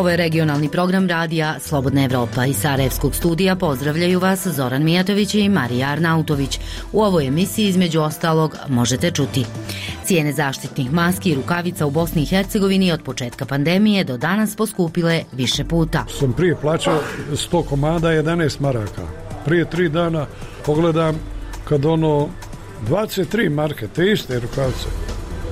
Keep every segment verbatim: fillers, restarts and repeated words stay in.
Ovo je regionalni program radija Slobodna Evropa. Iz Sarajevskog studija pozdravljaju vas Zoran Mijatović i Marija Arnautović. U ovoj emisiji između ostalog možete čuti: cijene zaštitnih maski i rukavica u Bosni i Hercegovini od početka pandemije do danas poskupile više puta. Sam prije plaćao sto komada jedanaest maraka. Prije tri dana pogledam kad ono dvadeset tri marke, te iste rukavice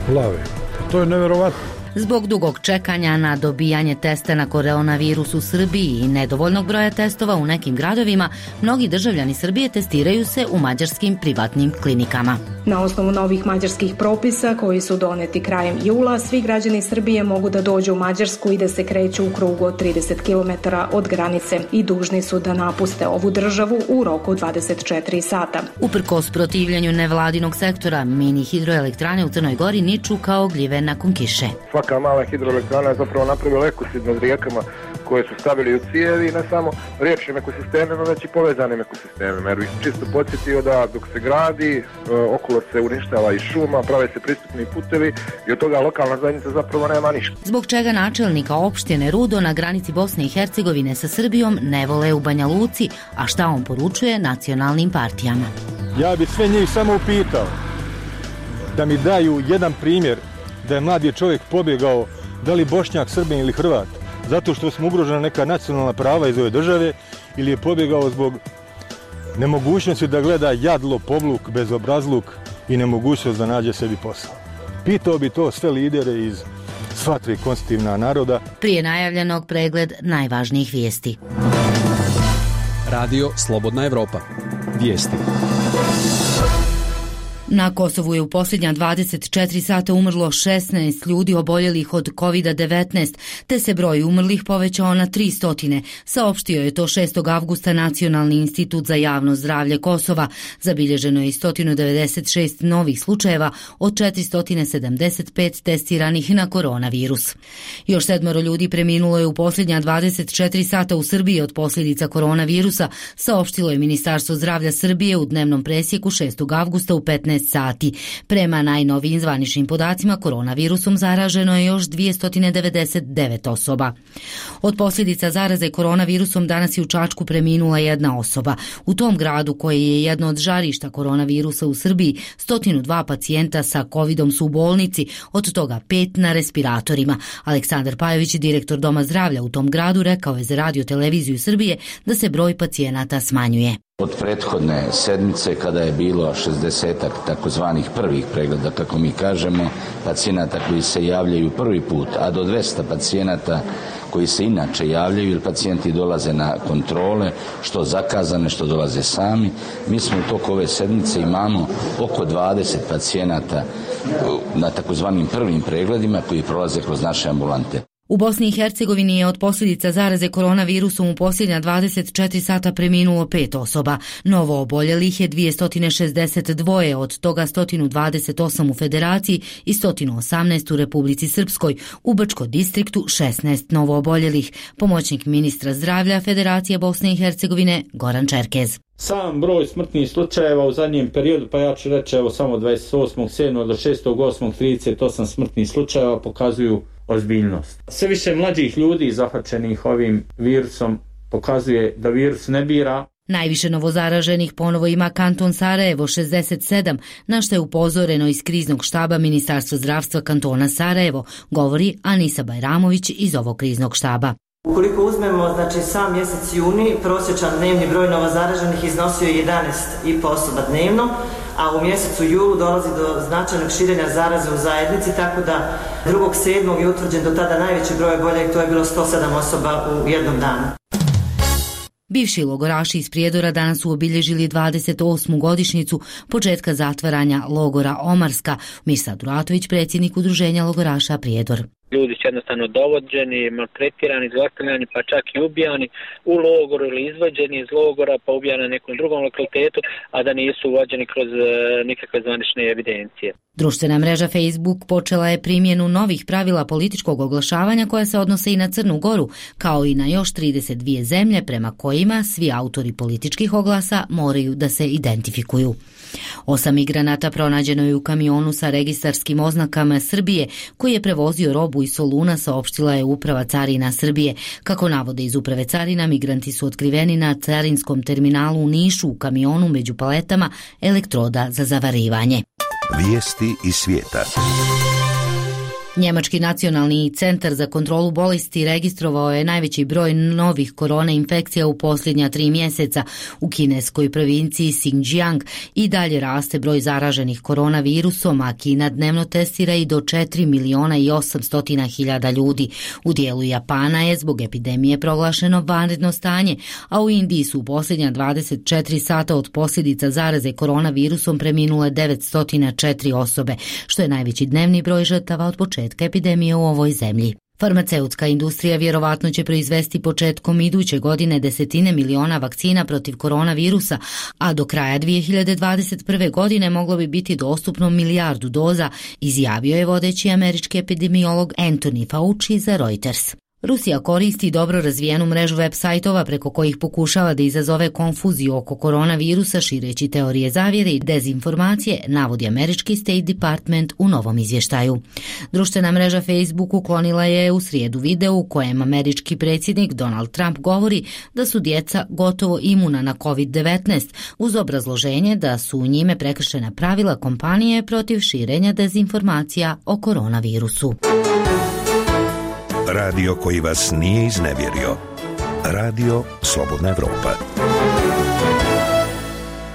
plave. To je nevjerovatno. Zbog dugog čekanja na dobijanje testa na koronavirus u Srbiji i nedovoljnog broja testova u nekim gradovima, mnogi državljani Srbije testiraju se u mađarskim privatnim klinikama. Na osnovu novih mađarskih propisa koji su doneti krajem jula, svi građani Srbije mogu da dođu u Mađarsku i da se kreću u krugu od trideset kilometara od granice i dužni su da napuste ovu državu u roku dvadeset četiri sata. Uprkos protivljenju nevladinog sektora, mini hidroelektrane u Crnoj Gori niču kao gljive nakon kiše. Svaka mala hidroelektrana je zapravo napravila ekosid nad rijekama koje su stavili u cijevi i ne samo riječnim ekosistemima, već i povezanim ekosistemima. Jer bih čisto podsjetio da dok se gradi, okolo se uništava i šuma, prave se pristupni putevi i od toga lokalna zajednica zapravo nema ništa. Zbog čega načelnika opštine Rudo na granici Bosne i Hercegovine sa Srbijom ne vole u Banja Luci, a šta on poručuje nacionalnim partijama? Ja bih sve njih samo upitao da mi daju jedan primjer da je mladi čovjek pobjegao, da li Bošnjak, Srbin ili Hrvat, zato što smo ugrožena neka nacionalna prava iz ove države, ili je pobjegao zbog nemogućnosti da gleda jadlo, povluk, bezobrazluk i nemogućnost da nađe sebi posao. Pitao bi to sve lidere iz sva tri konstitutivna naroda. Prije najavljenog pregled najvažnijih vijesti. Radio Slobodna Evropa. Vijesti. Na Kosovu je u posljednja dvadeset četiri sata umrlo šesnaest ljudi oboljelih od kovid devetnaest, te se broj umrlih povećao na tri stotine. Saopštio je to šestog avgusta Nacionalni institut za javno zdravlje Kosova. Zabilježeno je sto devedeset šest novih slučajeva od četiristo sedamdeset pet testiranih na koronavirus. Još sedmoro ljudi preminulo je u posljednja dvadeset četiri sata u Srbiji od posljedica koronavirusa, saopštilo je Ministarstvo zdravlja Srbije u dnevnom presjeku šestog avgusta u petnaest sati. Prema najnovijim zvaničnim podacima, koronavirusom zaraženo je još dvjesto devedeset devet osoba. Od posljedica zaraze koronavirusom danas je u Čačku preminula jedna osoba. U tom gradu, koji je jedno od žarišta koronavirusa u Srbiji, sto dva pacijenta sa covidom su u bolnici, od toga pet na respiratorima. Aleksandar Pajović, direktor Doma zdravlja u tom gradu, rekao je za Radio televiziju Srbije da se broj pacijenata smanjuje. Od prethodne sedmice, kada je bilo šezdesetak takozvanih prvih pregleda, kako mi kažemo, pacijenata koji se javljaju prvi put, a do dvesta pacijenata koji se inače javljaju jer pacijenti dolaze na kontrole, što zakazane, što dolaze sami. Mi smo u toku ove sedmice imamo oko dvadeset pacijenata na takozvanim prvim pregledima koji prolaze kroz naše ambulante. U Bosni i Hercegovini je od posljedica zaraze koronavirusom u posljednja dvadeset četiri sata preminulo pet osoba. Novo oboljelih je dvjesto šezdeset dva, od toga sto dvadeset osam u Federaciji i sto osamnaest u Republici Srpskoj. U Brčko distriktu šesnaest novo oboljelih. Pomoćnik ministra zdravlja Federacije Bosne i Hercegovine Goran Čerkez. Sam broj smrtnih slučajeva u zadnjem periodu, pa ja ću reći evo samo dvadeset osmog sedmog do šestog osmog trideset osam smrtnih slučajeva pokazuju ozbiljnost. Sve više mlađih ljudi zahvaćenih ovim virusom pokazuje da virus ne bira. Najviše novozaraženih ponovo ima kanton Sarajevo šezdeset sedam, na što je upozoreno iz kriznog štaba Ministarstva zdravstva kantona Sarajevo, govori Anisa Bajramović iz ovog kriznog štaba. Ukoliko uzmemo, znači, sam mjesec juni, prosječan dnevni broj novozaraženih iznosio je jedanaest i po osoba dnevno, a u mjesecu julu dolazi do značajnog širenja zaraze u zajednici, tako da drugog sedmog je utvrđen do tada najveći broj oboljelih, to je bilo sto sedam osoba u jednom danu. Bivši logoraši iz Prijedora danas su obilježili dvadeset osmu godišnjicu početka zatvaranja logora Omarska. Mirsad Uratović, predsjednik udruženja logoraša Prijedor. Ljudi su jednostavno dovođeni, maltretirani, zlostavljani, pa čak i ubijani u logoru ili izvođeni iz logora, pa ubijani na nekom drugom lokalitetu, a da nisu uvođeni kroz nikakve zvanične evidencije. Društvena mreža Facebook počela je primjenu novih pravila političkog oglašavanja koja se odnose i na Crnu Goru, kao i na još trideset dvije zemlje prema kojima svi autori političkih oglasa moraju da se identifikuju. Osam migranata pronađeno je u kamionu sa registarskim oznakama Srbije koji je prevozio robu iz Soluna, saopštila je Uprava carina Srbije. Kako navode iz Uprave carina, migranti su otkriveni na carinskom terminalu u Nišu u kamionu među paletama elektroda za zavarivanje. Vijesti iz svijeta. Njemački nacionalni centar za kontrolu bolesti registrovao je najveći broj novih korona infekcija u posljednja tri mjeseca. U kineskoj provinciji Xinjiang i dalje raste broj zaraženih koronavirusom, a Kina dnevno testira i do četiri miliona i osamsto hiljada ljudi. U dijelu Japana je zbog epidemije proglašeno vanredno stanje, a u Indiji su u posljednja dvadeset četiri sata od posljedica zaraze koronavirusom preminule devetsto četiri osobe, što je najveći dnevni broj žrtava od početka epidemije u ovoj zemlji. Farmaceutska industrija vjerovatno će proizvesti početkom iduće godine desetine miliona vakcina protiv koronavirusa, a do kraja dvije hiljade dvadeset prve. godine moglo bi biti dostupno milijardu doza, izjavio je vodeći američki epidemiolog Anthony Fauci za Reuters. Rusija koristi dobro razvijenu mrežu web sajtova preko kojih pokušava da izazove konfuziju oko koronavirusa šireći teorije zavjere i dezinformacije, navodi američki State Department u novom izvještaju. Društvena mreža Facebook uklonila je u srijedu video u kojem američki predsjednik Donald Trump govori da su djeca gotovo imuna na kovid devetnaest uz obrazloženje da su u njime prekršena pravila kompanije protiv širenja dezinformacija o koronavirusu. Radio koji vas nije iznevjerio. Radio Slobodna Evropa.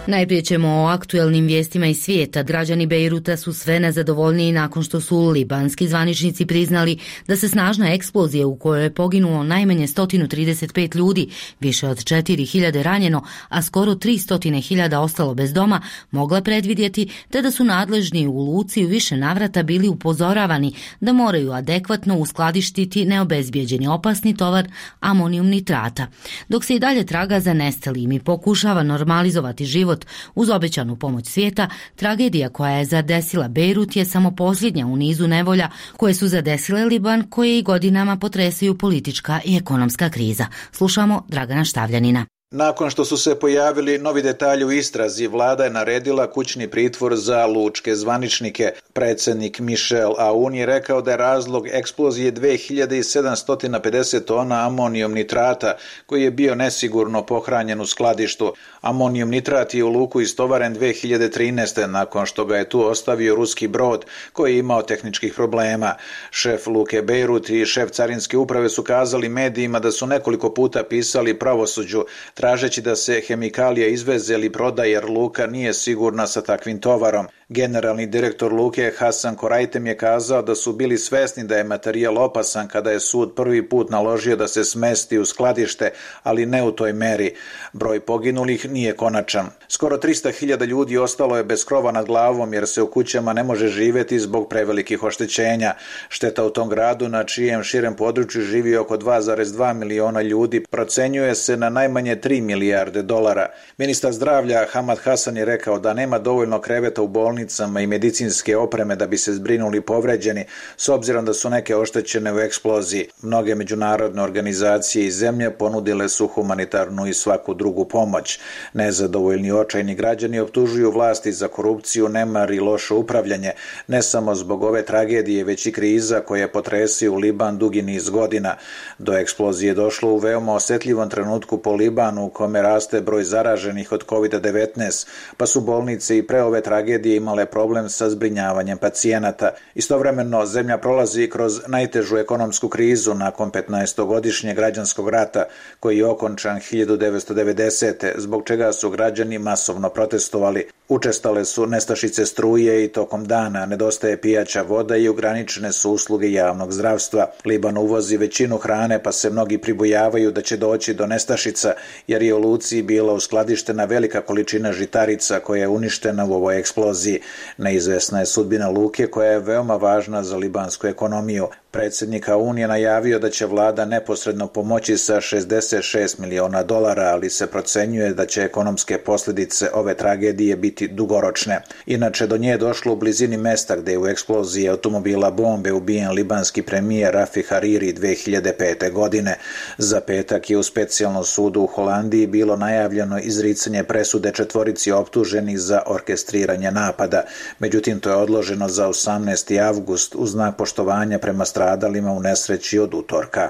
Najprije ćemo o aktuelnim vijestima iz svijeta. Građani Bejruta su sve nezadovoljniji nakon što su libanski zvaničnici priznali da se snažna eksplozija u kojoj je poginulo najmanje sto trideset pet ljudi, više od četiri hiljade ranjeno, a skoro tristo hiljada ostalo bez doma, mogla predvidjeti, te da su nadležni u luci u više navrata bili upozoravani da moraju adekvatno uskladištiti neobezbijeđeni opasni tovar amonijum nitrata. Dok se i dalje traga za nestalim i pokušava normalizovati život uz obećanu pomoć svijeta, tragedija koja je zadesila Bejrut je samo posljednja u nizu nevolja koje su zadesile Liban, koje i godinama potresaju politička i ekonomska kriza. Slušamo Dragana Štavljanina. Nakon što su se pojavili novi detalji u istrazi, vlada je naredila kućni pritvor za lučke zvaničnike. Predsjednik Michel Aoun je rekao da je razlog eksplozije dve hiljade sedamsto pedeset tona amonijum nitrata koji je bio nesigurno pohranjen u skladištu. Amonijum nitrat je u luku istovaren dve hiljade trinaeste. nakon što ga je tu ostavio ruski brod koji je imao tehničkih problema. Šef luke Bejrut i šef carinske uprave su kazali medijima da su nekoliko puta pisali pravosuđu tražeći da se hemikalija izveze ili prodaje jer luka nije sigurna sa takvim tovarom. Generalni direktor luke Hasan Korajtem je kazao da su bili svesni da je materijal opasan kada je sud prvi put naložio da se smesti u skladište, ali ne u toj meri. Broj poginulih nije konačan. Skoro tristo hiljada ljudi ostalo je bez krova nad glavom jer se u kućama ne može živjeti zbog prevelikih oštećenja. Šteta u tom gradu, na čijem širem području živi oko dva zarez dva miliona ljudi, procenjuje se na najmanje tri milijarde dolara. Ministar zdravlja Hamad Hasan je rekao da nema dovoljno kreveta u bolnicama i medicinske opreme da bi se zbrinuli povređeni, s obzirom da su neke oštećene u eksploziji. Mnoge međunarodne organizacije i zemlje ponudile su humanitarnu i svaku drugu pomoć. Nezadovoljni očajni građani optužuju vlasti za korupciju, nemar i loše upravljanje, ne samo zbog ove tragedije, već i kriza koja potresaju Liban dugi niz godina. Do eksplozije došlo u veoma osjetljivom trenutku po Libanu u kome raste broj zaraženih od kovid devetnaest, pa su bolnice i pre ove tragedije imale problem sa zbrinjavanjem pacijenata. Istovremeno, zemlja prolazi kroz najtežu ekonomsku krizu nakon petnaestogodišnjeg građanskog rata, koji je okončan hiljadu devetsto devedesete. zbog čega su građani masovno protestovali. Učestale su nestašice struje i tokom dana, nedostaje pijaća voda i ograničene su usluge javnog zdravstva. Liban uvozi većinu hrane, pa se mnogi pribojavaju da će doći do nestašica, jer je u luci bila uskladištena velika količina žitarica koja je uništena u ovoj eksploziji. Siriji. Neizvesna je sudbina luke koja je veoma važna za libansku ekonomiju. Predsjednik Aoun je najavio da će vlada neposredno pomoći sa šezdeset šest miliona dolara, ali se procenjuje da će ekonomske posljedice ove tragedije biti dugoročne. Inače, do nje je došlo u blizini mesta gdje je u eksploziji automobila bombe ubijen libanski premijer Rafi Hariri dvije hiljade pete. godine. Za petak je u specijalnom sudu u Holandiji bilo najavljeno izricanje presude četvorici optuženih za orkestriranje napada. Međutim, to je odloženo za osamnaesti avgust uz znak poštovanja prema stradalima u nesreći od utorka.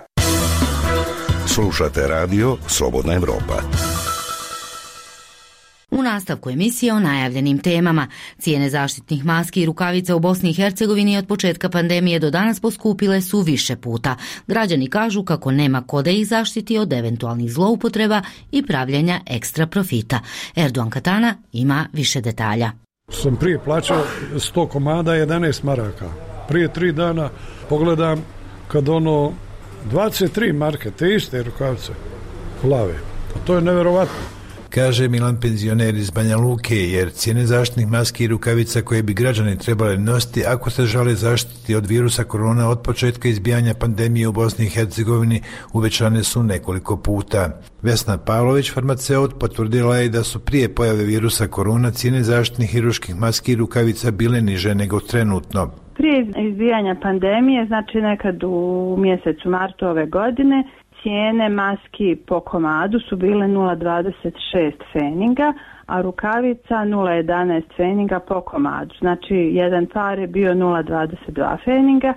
Slušate radio Slobodna Evropa. U nastavku emisije o najavljenim temama. Cijene zaštitnih maski i rukavica u Bosni i Hercegovini od početka pandemije do danas poskupile su više puta. Građani kažu kako nema ko da ih zaštiti od eventualnih zloupotreba i pravljenja ekstra profita. Erdogan Katana ima više detalja. Sam prije plaćao sto komada jedanaest maraka. Prije tri dana pogledam kad ono dvadeset tri marke, te iste rukavice plave. To je nevjerovatno. Kaže Milan, penzioner iz Banja Luke, jer cijene zaštitnih maski i rukavica koje bi građani trebali nositi ako se žele zaštiti od virusa korona od početka izbijanja pandemije u Bosni i Hercegovini uvećane su nekoliko puta. Vesna Pavlović, farmaceut, potvrdila je da su prije pojave virusa korona cijene zaštitnih hiruških maski i rukavica bile niže nego trenutno. Prije izbijanja pandemije, znači nekad u mjesecu martu ove godine, cijene maski po komadu su bile nula zarez dvadeset šest feninga, a rukavica nula zarez jedanaest feninga po komadu. Znači, jedan par je bio nula zarez dvadeset dva feninga.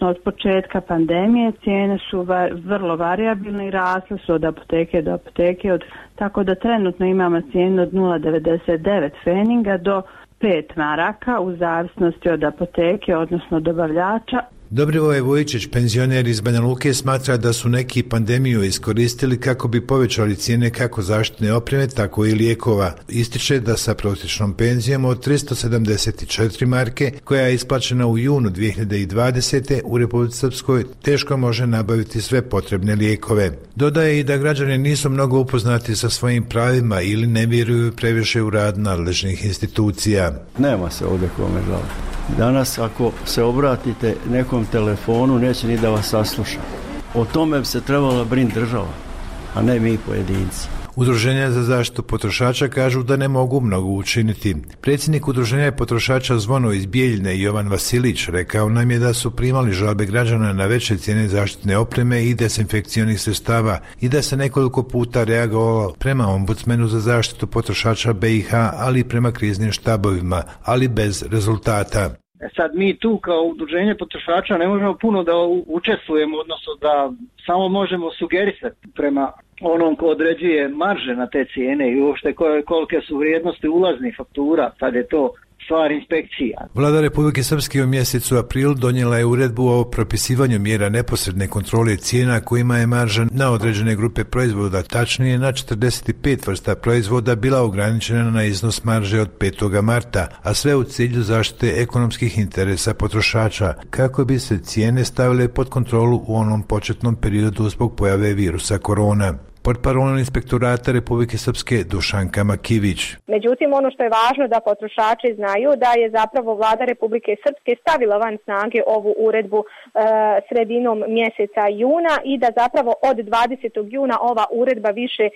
Od početka pandemije cijene su va- vrlo variabilne i rasle su od apoteke do apoteke, od, tako da trenutno imamo cijenu od nula zarez devedeset devet feninga do pet maraka u zavisnosti od apoteke, odnosno dobavljača. Dobrivoje Vujičić, penzioner iz Banja Luke, smatra da su neki pandemiju iskoristili kako bi povećali cijene kako zaštitne opreme, tako i lijekova. Ističe da sa prosječnom penzijom od tristo sedamdeset četiri marke, koja je isplaćena u junu dvije hiljade dvadesete. u Republici Srpskoj, teško može nabaviti sve potrebne lijekove. Dodaje i da građani nisu mnogo upoznati sa svojim pravima ili ne vjeruju previše u rad nadležnih institucija. Nema se ovdje kome žaliti. Danas ako se obratite nekom telefonu neće ni da vas sasluša. O tome bi se trebala brinuti država, a ne mi pojedinci. Udruženja za zaštitu potrošača kažu da ne mogu mnogo učiniti. Predsjednik Udruženja potrošača Zvono iz Bijeljine Jovan Vasilić rekao nam je da su primali žalbe građana na veće cijene zaštitne opreme i dezinfekcionih sredstava i da se nekoliko puta reagovalo prema ombudsmenu za zaštitu potrošača be i ha, ali i prema kriznim štabovima, ali bez rezultata. Sad mi tu kao udruženje potrošača ne možemo puno da učestvujemo, odnosno da samo možemo sugerisati prema onom ko određuje marže na te cijene i uopšte kolike su vrijednosti ulaznih faktura, sad je to stvar inspekcija. Vlada Republike Srpske u mjesecu aprilu donijela je uredbu o propisivanju mjera neposredne kontrole cijena kojima je marža na određene grupe proizvoda, tačnije na četrdeset pet vrsta proizvoda, bila ograničena na iznos marže od petog marta, a sve u cilju zaštite ekonomskih interesa potrošača, kako bi se cijene stavile pod kontrolu u onom početnom periodu zbog pojave virusa korona. Portparolom Inspektorata Republike Srpske Dušanka Makivić. Međutim, ono što je važno da potrošači znaju da je zapravo Vlada Republike Srpske stavila van snage ovu uredbu e, sredinom mjeseca juna i da zapravo od dvadesetog juna ova uredba više e,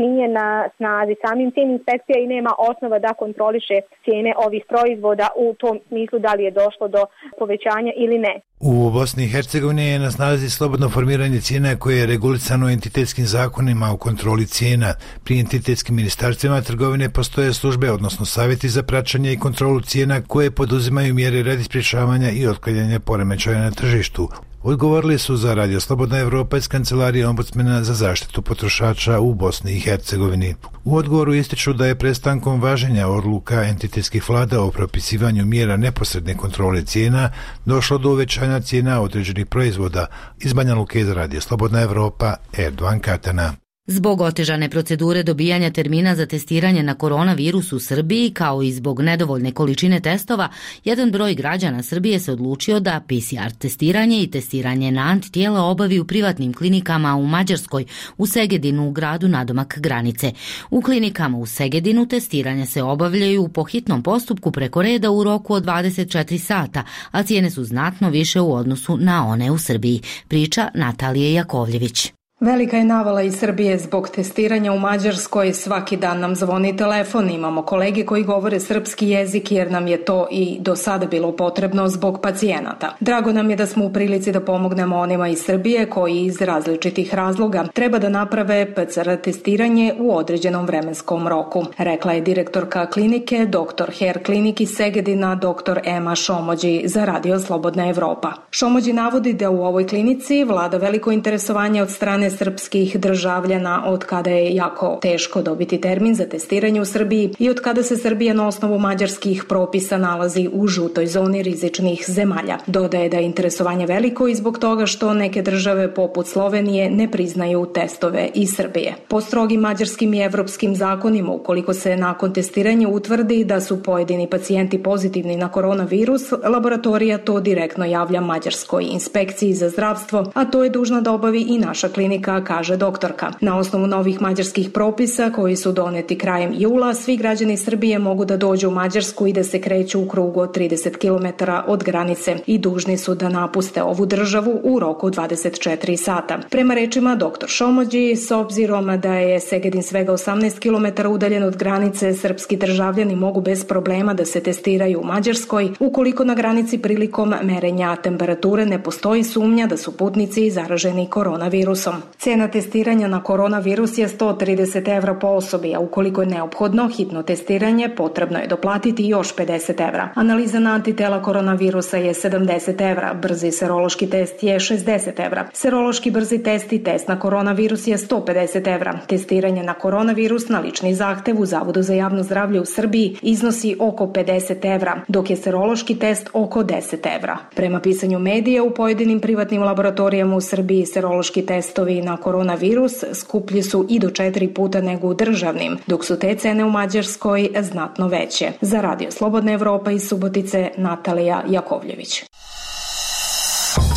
nije na snazi. Samim tim inspekcija i nema osnova da kontroliše cijene ovih proizvoda u tom smislu da li je došlo do povećanja ili ne. U Bosni i Hercegovini je na snazi slobodno formiranje cijena koje je regulisano entitetskim zakonima o kontroli cijena. Pri entitetskim ministarstvima trgovine postoje službe, odnosno savjeti za praćenje i kontrolu cijena koje poduzimaju mjere radi sprječavanja i otklanjanja poremećaja na tržištu. Odgovorili su za Radio Slobodna Evropa iz Kancelarije ombudsmena za zaštitu potrošača u Bosni i Hercegovini. U odgovoru ističu da je prestankom važenja odluka entitetskih vlada o propisivanju mjera neposredne kontrole cijena došlo do uvećanja cijena određenih proizvoda. Iz Banja Luke za Radio Slobodna Evropa, Erdogan Katana. Zbog otežane procedure dobijanja termina za testiranje na koronavirus u Srbiji, kao i zbog nedovoljne količine testova, jedan broj građana Srbije se odlučio da P C R testiranje i testiranje na antitijela obavi u privatnim klinikama u Mađarskoj, u Segedinu, u gradu nadomak granice. U klinikama u Segedinu testiranje se obavljaju po hitnom postupku preko reda u roku od dvadeset četiri sata, a cijene su znatno više u odnosu na one u Srbiji, priča Natalije Jakovljević. Velika je navala iz Srbije zbog testiranja u Mađarskoj. Svaki dan nam zvoni telefon. Imamo kolege koji govore srpski jezik jer nam je to i do sada bilo potrebno zbog pacijenata. Drago nam je da smo u prilici da pomognemo onima iz Srbije koji iz različitih razloga treba da naprave P C R testiranje u određenom vremenskom roku, rekla je direktorka klinike doktor Hair Klinik iz Segedina doktor Ema Šomođi za Radio Slobodna Evropa. Šomođi navodi da u ovoj klinici vlada veliko interesovanje od strane srpskih državljana od kada je jako teško dobiti termin za testiranje u Srbiji i od kada se Srbija na osnovu mađarskih propisa nalazi u žutoj zoni rizičnih zemalja. Dodaje da je interesovanje veliko i zbog toga što neke države poput Slovenije ne priznaju testove iz Srbije. Po strogim mađarskim i evropskim zakonima, ukoliko se nakon testiranja utvrdi da su pojedini pacijenti pozitivni na koronavirus, laboratorija to direktno javlja Mađarskoj inspekciji za zdravstvo, a to je dužna da obavi i naša klinika, kaže doktorka. Na osnovu novih mađarskih propisa koji su doneti krajem jula, svi građani Srbije mogu da dođu u Mađarsku i da se kreću u krugu od trideset kilometara od granice i dužni su da napuste ovu državu u roku dvadeset četiri sata. Prema rečima doktor Šomođi, s obzirom da je Segedin svega osamnaest kilometara udaljen od granice, srpski državljani mogu bez problema da se testiraju u Mađarskoj, ukoliko na granici prilikom merenja temperature ne postoji sumnja da su putnici zaraženi koronavirusom. Cena testiranja na koronavirus je sto trideset evra po osobi, a ukoliko je neophodno hitno testiranje, potrebno je doplatiti još pedeset evra. Analiza na antitela koronavirusa je sedamdeset evra, brzi serološki test je šezdeset evra. Serološki brzi test i test na koronavirus je sto pedeset evra. Testiranje na koronavirus na lični zahtev u Zavodu za javno zdravlje u Srbiji iznosi oko pedeset evra, dok je serološki test oko deset evra. Prema pisanju medija, u pojedinim privatnim laboratorijama u Srbiji serološki testovi na koronavirus skuplji su i do četiri puta nego u državnim, dok su te cene u Mađarskoj znatno veće. Za Radio Slobodna Evropa iz Subotice, Natalija Jakovljević.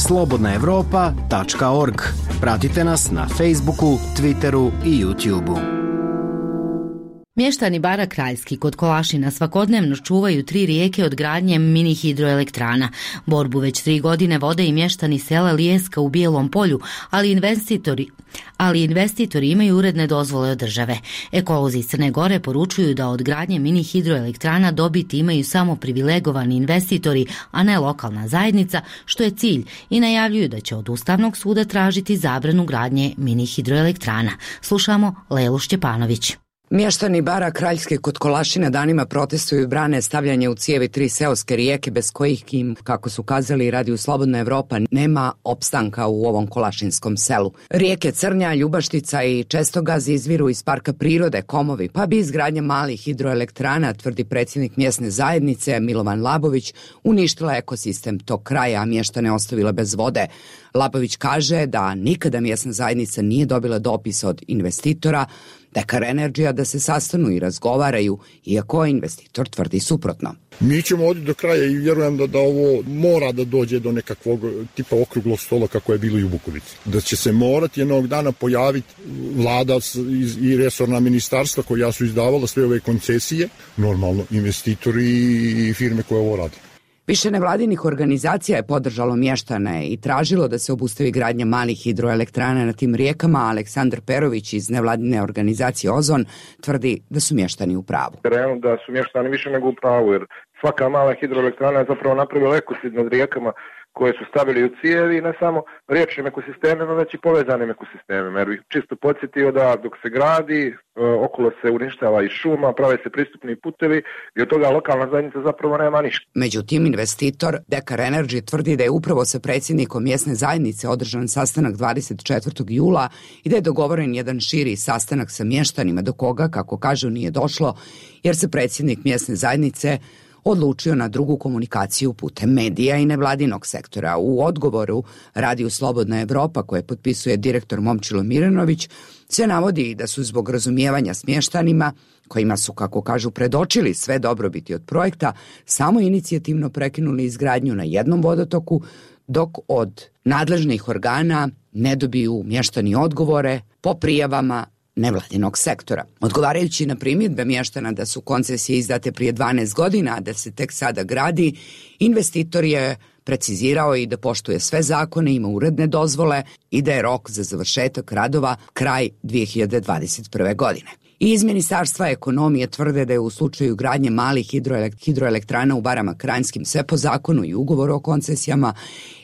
slobodna evropa tačka org. Pratite nas na Facebooku, Twitteru i YouTubeu. Mještani Bara Kraljski kod Kolašina svakodnevno čuvaju tri rijeke od gradnje mini hidroelektrana. Borbu već tri godine vode i mještani sela Lijeska u Bijelom polju, ali investitori, ali investitori imaju uredne dozvole od države. Ekolozi iz Crne Gore poručuju da od gradnje mini hidroelektrana dobiti imaju samo privilegovani investitori, a ne lokalna zajednica, što je cilj, i najavljuju da će od Ustavnog suda tražiti zabranu gradnje mini hidroelektrana. Slušamo Lelu Šćepanović. Mještani Bara Kraljske kod Kolašina danima protestuju i brane stavljanje u cijevi tri seoske rijeke bez kojih im, kako su kazali Radio Slobodna Evropa, nema opstanka u ovom kolašinskom selu. Rijeke Crnja, Ljubaštica i Čestogaz izviru iz parka prirode Komovi, pa bi izgradnja malih hidroelektrana, tvrdi predsjednik mjesne zajednice Milovan Labović, uništila ekosistem tog kraja, a mještane ostavila bez vode. Labović kaže da nikada mjesna zajednica nije dobila dopis od investitora Dekar Energy da se sastanu i razgovaraju, iako investitor tvrdi suprotno. Mi ćemo oditi do kraja i vjerujem da, da ovo mora da dođe do nekakvog tipa okruglog stola kako je bilo i u Bukovici. Da će se morati jednog dana pojaviti vlada i resorna ministarstva koja su izdavala sve ove koncesije, normalno investitori i firme koje ovo radi. Više nevladinih organizacija je podržalo mještane i tražilo da se obustavi gradnja malih hidroelektrana na tim rijekama. Aleksandar Perović iz nevladine organizacije Ozon tvrdi da su mještani u pravu. Realno da su mještani više nego u pravu, jer svaka mala hidroelektrana je zapravo napravila ekocid nad rijekama koje su stavili u cijevi, ne samo riječnim ekosistemima, već i povezanim ekosistemima. Jer bih čisto podsjetio da dok se gradi, okolo se uništava i šuma, prave se pristupni putevi i od toga lokalna zajednica zapravo nema ništa. Međutim, investitor Dekar Energy tvrdi da je upravo sa predsjednikom mjesne zajednice održan sastanak dvadeset četvrtog jula i da je dogovoren jedan širi sastanak sa mještanima, do koga, kako kažu, nije došlo, jer se predsjednik mjesne zajednice odlučio na drugu komunikaciju putem medija i nevladinog sektora. U odgovoru Radiju Slobodna Evropa, koje potpisuje direktor Momčilo Miranović, se navodi da su zbog razumijevanja s mještanima, kojima su, kako kažu, predočili sve dobrobiti od projekta, samo inicijativno prekinuli izgradnju na jednom vodotoku, dok od nadležnih organa ne dobiju mještani odgovore po prijavama nevladinog sektora. Odgovarajući na primjedbe mještana da su koncesije izdate prije dvanaest godina, a da se tek sada gradi, investitor je precizirao i da poštuje sve zakone, ima uredne dozvole i da je rok za završetak radova kraj dvije hiljade dvadeset prve. godine. I iz Ministarstva ekonomije tvrde da je u slučaju gradnje malih hidroelektrana u Barama Kranjskim sve po zakonu i ugovoru o koncesijama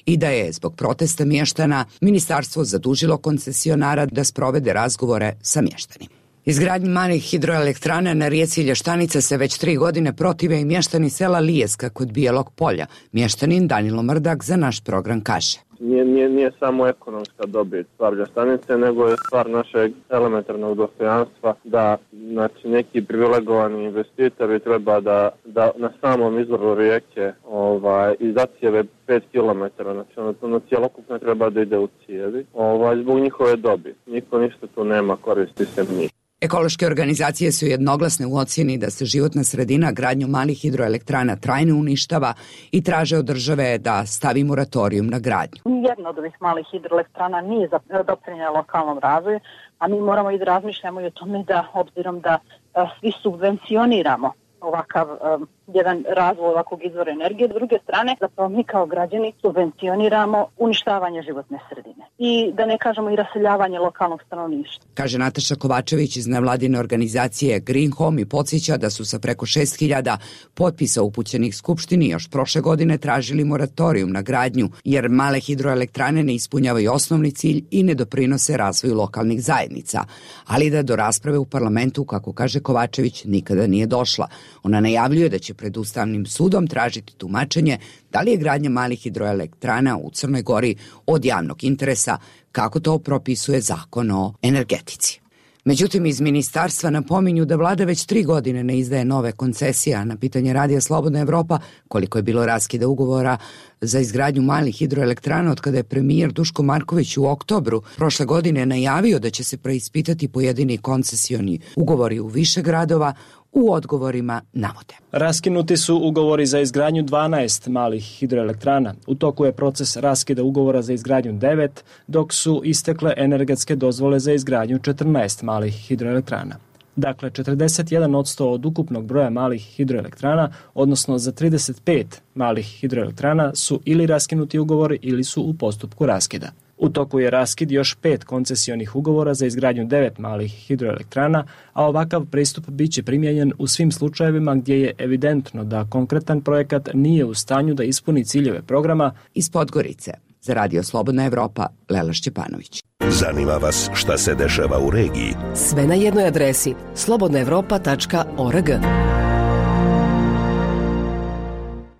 i da je zbog protesta mještana ministarstvo zadužilo koncesionara da sprovede razgovore sa mještanima. Izgradnji malih hidroelektrana na rijeci Lještanica se već tri godine protive i mještani sela Lijeska kod Bijelog polja. Mještanin Danilo Mrdak za naš program kaže. Nije, nije, nije samo ekonomska dobit stvar Ljestanice, nego je stvar našeg elementarnog dostojanstva da znači, neki privilegovani investitori treba da, da na samom izvoru rijeke ovaj, izacijeve pet kilometara, znači ono, ono cijelokupno treba da ide u cijevi, ovaj, zbog njihove dobit. Niko ništa tu nema, koristi se njih. Ekološke organizacije su jednoglasne u ocjeni da se životna sredina gradnju malih hidroelektrana trajno uništava i traže od države da stavi moratorijum na gradnju. Jedna od ovih malih hidroelektrana nije doprinijela lokalnom razvoju, a mi moramo i da razmišljamo i o tome da, obzirom da a, svi subvencioniramo ovakav um, jedan razvoj ovakvog izvora energije. S druge strane, zapravo mi kao građani subvencioniramo uništavanje životne sredine. I da ne kažemo i raseljavanje lokalnog stanovništva. Kaže Nataša Kovačević iz nevladine organizacije Green Home i podsjeća da su sa preko šest hiljada potpisa upućenih Skupštini još prošle godine tražili moratorijum na gradnju, jer male hidroelektrane ne ispunjavaju osnovni cilj i ne doprinose razvoju lokalnih zajednica. Ali da do rasprave u parlamentu, kako kaže Kovačević, nikada nije došla. Ona najavljuje da će pred Ustavnim sudom tražiti tumačenje da li je gradnja malih hidroelektrana u Crnoj Gori od javnog interesa, kako to propisuje Zakon o energetici. Međutim, iz ministarstva napominju da vlada već tri godine ne izdaje nove koncesije, a na pitanje Radija Slobodna Evropa koliko je bilo raskida ugovora za izgradnju malih hidroelektrana od kada je premijer Duško Marković u oktobru prošle godine najavio da će se preispitati pojedini koncesioni ugovori u više gradova, u odgovorima navode. Raskinuti su ugovori za izgradnju dvanaest malih hidroelektrana. U toku je proces raskida ugovora za izgradnju devet, dok su istekle energetske dozvole za izgradnju četrnaest malih hidroelektrana. Dakle, četrdeset jedan posto od ukupnog broja malih hidroelektrana, odnosno za trideset pet malih hidroelektrana su ili raskinuti ugovori ili su u postupku raskida. U toku je raskid još pet koncesionih ugovora za izgradnju devet malih hidroelektrana, a ovakav pristup biće primijenjen u svim slučajevima gdje je evidentno da konkretan projekat nije u stanju da ispuni ciljeve programa. Iz Podgorice, za Radio Slobodna Evropa, Lela Šćepanović. Zanima vas šta se dešava u regiji? Sve na jednoj adresi slobodna evropa tačka org.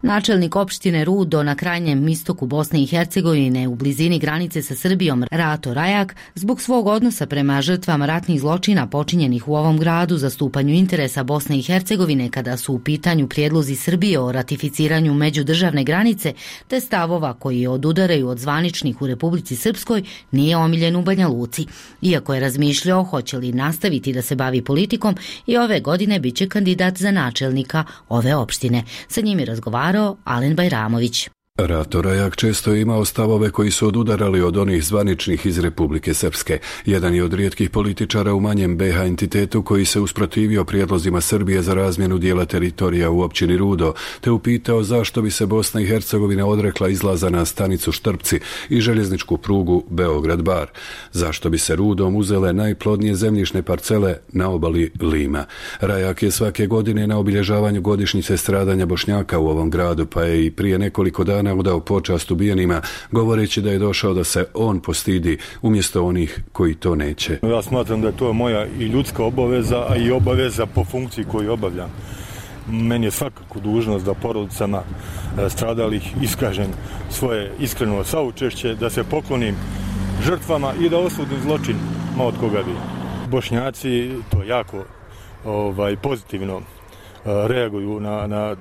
Načelnik opštine Rudo na krajnjem istoku Bosne i Hercegovine u blizini granice sa Srbijom Rato Rajak zbog svog odnosa prema žrtvama ratnih zločina počinjenih u ovom gradu zastupanju interesa Bosne i Hercegovine kada su u pitanju prijedlozi Srbije o ratificiranju međudržavne granice te stavova koji odudaraju od zvaničnih u Republici Srpskoj nije omiljen u Banja Luci. Iako je razmišljao hoće li nastaviti da se bavi politikom i ove godine bit će kandidat za načelnika ove opštine. Sa njim je razgovarao Alen Bajramović. Rato Rajak često je imao stavove koji su odudarali od onih zvaničnih iz Republike Srpske. Jedan je od rijetkih političara u manjem be ha entitetu koji se usprotivio prijedlozima Srbije za razmjenu dijela teritorija u općini Rudo, te upitao zašto bi se Bosna i Hercegovina odrekla izlaza na stanicu Štrpci i željezničku prugu Beograd-Bar. Zašto bi se Rudom uzele najplodnije zemljišne parcele na obali Lima. Rajak je svake godine na obilježavanju godišnjice stradanja Bošnjaka u ovom gradu, pa je i prije nekoliko dana udao počast ubijenima, govoreći da je došao da se on postidi umjesto onih koji to neće. Ja smatram da je to moja i ljudska obaveza, a i obaveza po funkciji koju obavljam. Meni je svakako dužnost da porodicama stradalih iskažem svoje iskreno saučešće, da se poklonim žrtvama i da osudim zločin ma od koga bi. Bošnjaci to jako ovaj, pozitivno reaguju na, na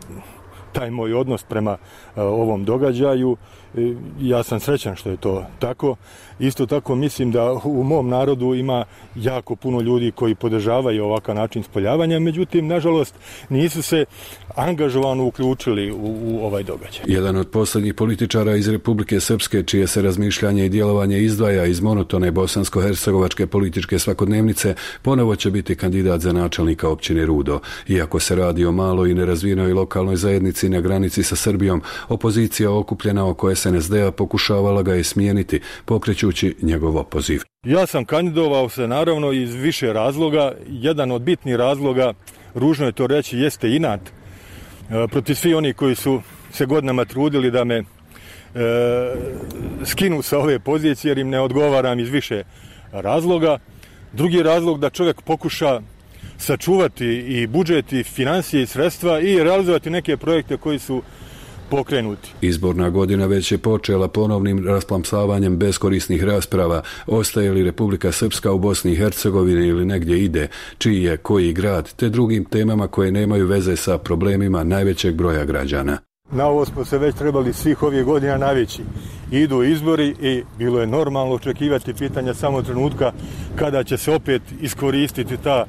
taj moj odnos prema ovom događaju. Ja sam srećan što je to tako. Isto tako mislim da u mom narodu ima jako puno ljudi koji podržavaju ovakav način spoljavanja, međutim, nažalost, nisu se angažovano uključili u, u ovaj događaj. Jedan od posljednjih političara iz Republike Srpske, čije se razmišljanje i djelovanje izdvaja iz monotone bosansko-hercegovačke političke svakodnevnice, ponovo će biti kandidat za načelnika općine Rudo. Iako se radi o maloj i nerazvijenoj lokalnoj zajednici na granici sa Srbijom, opozicija okupljena oko es en es de a pokušavala ga je smijeniti, pokrećući njegov opoziv. Ja sam kandidovao se naravno iz više razloga. Jedan od bitnih razloga, ružno je to reći, jeste inat protiv svi oni koji su se godinama trudili da me e, skinu sa ove pozicije jer im ne odgovaram iz više razloga. Drugi razlog da čovjek pokuša sačuvati i budžet i financije i sredstva i realizovati neke projekte koji su pokrenuti. Izborna godina već je počela ponovnim rasplamsavanjem beskorisnih rasprava, ostaje li Republika Srpska u Bosni i Hercegovini ili negdje ide, čiji je koji grad, te drugim temama koje nemaju veze sa problemima najvećeg broja građana. Na ovo smo se već trebali svih ovih godina navići. Idu izbori i bilo je normalno očekivati pitanja samo trenutka kada će se opet iskoristiti ta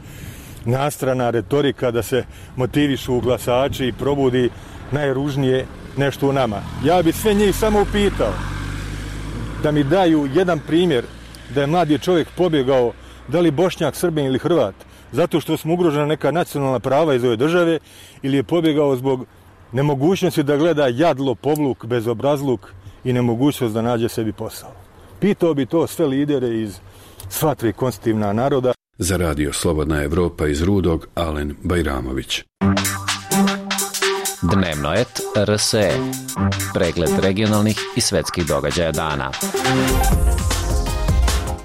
nastrana retorika da se motivišu glasači i probudi najružnije nešto u nama. Ja bi sve njih samo upitao da mi daju jedan primjer da je mladi čovjek pobjegao, da li Bošnjak, Srbin ili Hrvat, zato što smo ugrožena neka nacionalna prava iz ove države, ili je pobjegao zbog nemogućnosti da gleda jadlo, povluk, bezobrazluk i nemogućnost da nađe sebi posao. Pitao bi to sve lidere iz sva tri konstitutivna naroda. Za radio Slobodna Evropa iz Rudog, Alen Bajramović. Dnevnoet er es e. Pregled regionalnih i svetskih događaja dana.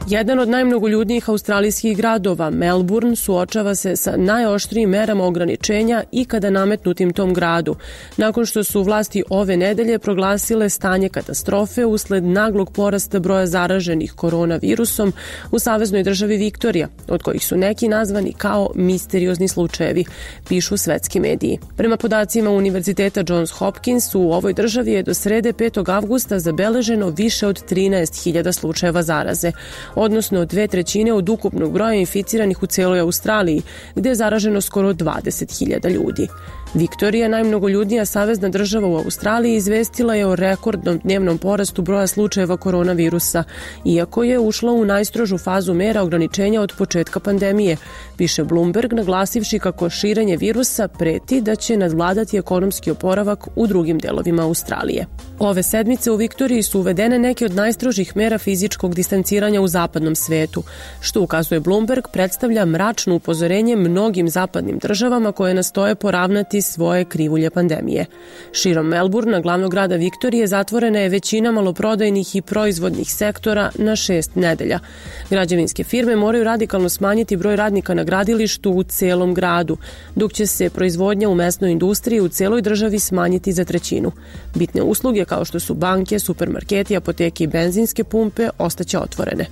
Jedan od najmnogoljudnijih australijskih gradova, Melbourne, suočava se sa najoštrijim merama ograničenja ikada nametnutim tom gradu, nakon što su vlasti ove nedelje proglasile stanje katastrofe usled naglog porasta broja zaraženih koronavirusom u saveznoj državi Viktorija, od kojih su neki nazvani kao misteriozni slučajevi, pišu svetski mediji. Prema podacima Univerziteta Johns Hopkins, u ovoj državi je do srede petog avgusta zabeleženo više od trinaest hiljada slučajeva zaraze, odnosno dve trećine od ukupnog broja inficiranih u cijeloj Australiji, gdje je zaraženo skoro dvadeset hiljada ljudi. Viktorija, najmnogoljudnija savezna država u Australiji, izvestila je o rekordnom dnevnom porastu broja slučajeva koronavirusa, iako je ušla u najstrožu fazu mera ograničenja od početka pandemije, piše Bloomberg, naglasivši kako širenje virusa preti da će nadvladati ekonomski oporavak u drugim delovima Australije. Ove sedmice u Viktoriji su uvedene neke od najstrožih mera fizičkog distanciranja u zapadnom svetu, što, ukazuje Bloomberg, predstavlja mračno upozorenje mnogim zapadnim državama koje nastoje poravnati svoje krivulje pandemije. Širom Melbournea, glavnog grada Viktorije, zatvorena je većina maloprodajnih i proizvodnih sektora na šest nedelja. Građevinske firme moraju radikalno smanjiti broj radnika na gradilištu u celom gradu, dok će se proizvodnja u mesnoj industriji u celoj državi smanjiti za trećinu. Bitne usluge kao što su banke, supermarketi, apoteke i benzinske pumpe ostaće otvorene.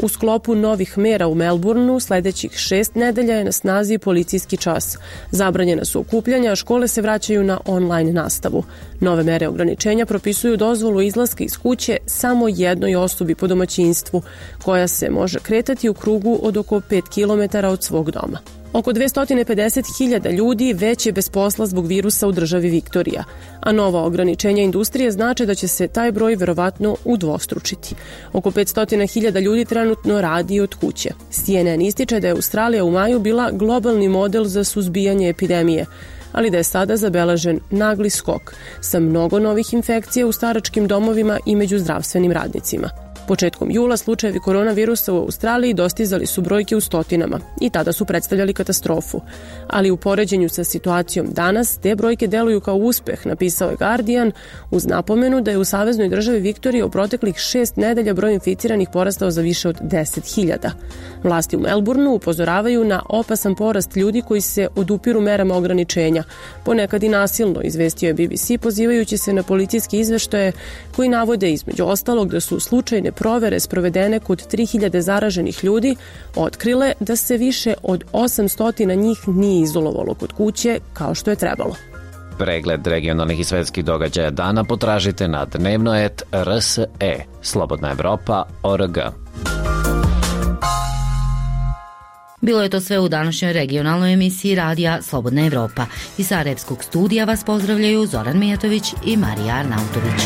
U sklopu novih mera u Melbourneu sljedećih šest nedelja je na snazi policijski čas. Zabranjena su okupljanja, a škole se vraćaju na online nastavu. Nove mere ograničenja propisuju dozvolu izlaska iz kuće samo jednoj osobi po domaćinstvu, koja se može kretati u krugu od oko pet kilometara od svog doma. Oko dvesta pedeset hiljada ljudi već je bez posla zbog virusa u državi Viktorija, a nova ograničenja industrije znače da će se taj broj verovatno udvostručiti. Oko petsto hiljada ljudi trenutno radi od kuće. C N N ističe da je Australija u maju bila globalni model za suzbijanje epidemije, ali da je sada zabeležen nagli skok sa mnogo novih infekcija u staračkim domovima i među zdravstvenim radnicima. Početkom jula slučajevi koronavirusa u Australiji dostizali su brojke u stotinama i tada su predstavljali katastrofu. Ali u poređenju sa situacijom danas te brojke deluju kao uspeh, napisao je Guardian, uz napomenu da je u saveznoj državi Viktorije u proteklih šest nedelja broj inficiranih porastao za više od deset hiljada. Vlasti u Melbourneu upozoravaju na opasan porast ljudi koji se odupiru merama ograničenja, ponekad i nasilno, izvestio je B B C pozivajući se na policijske izveštaje koji navode između ostalog da su slučajne provere sprovedene kod tri hiljade zaraženih ljudi otkrile da se više od osamsto njih nije izolovalo kod kuće kao što je trebalo. Pregled regionalnih i svetskih događaja dana potražite na dnevno et r s e slobodna evropa tačka org. Bilo je to sve u današnjoj regionalnoj emisiji radija Slobodna Evropa. Iz Sarajevskog studija vas pozdravljaju Zoran Mijatović i Marija Arnautović.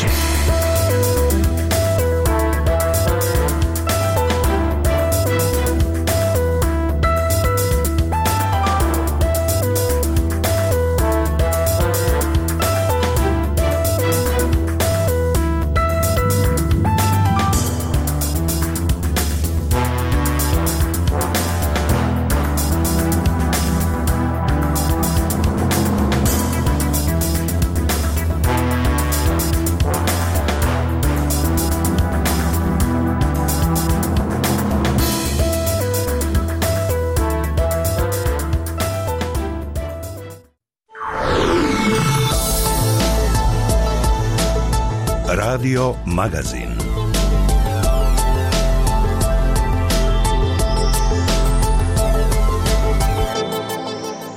Radio Magazin.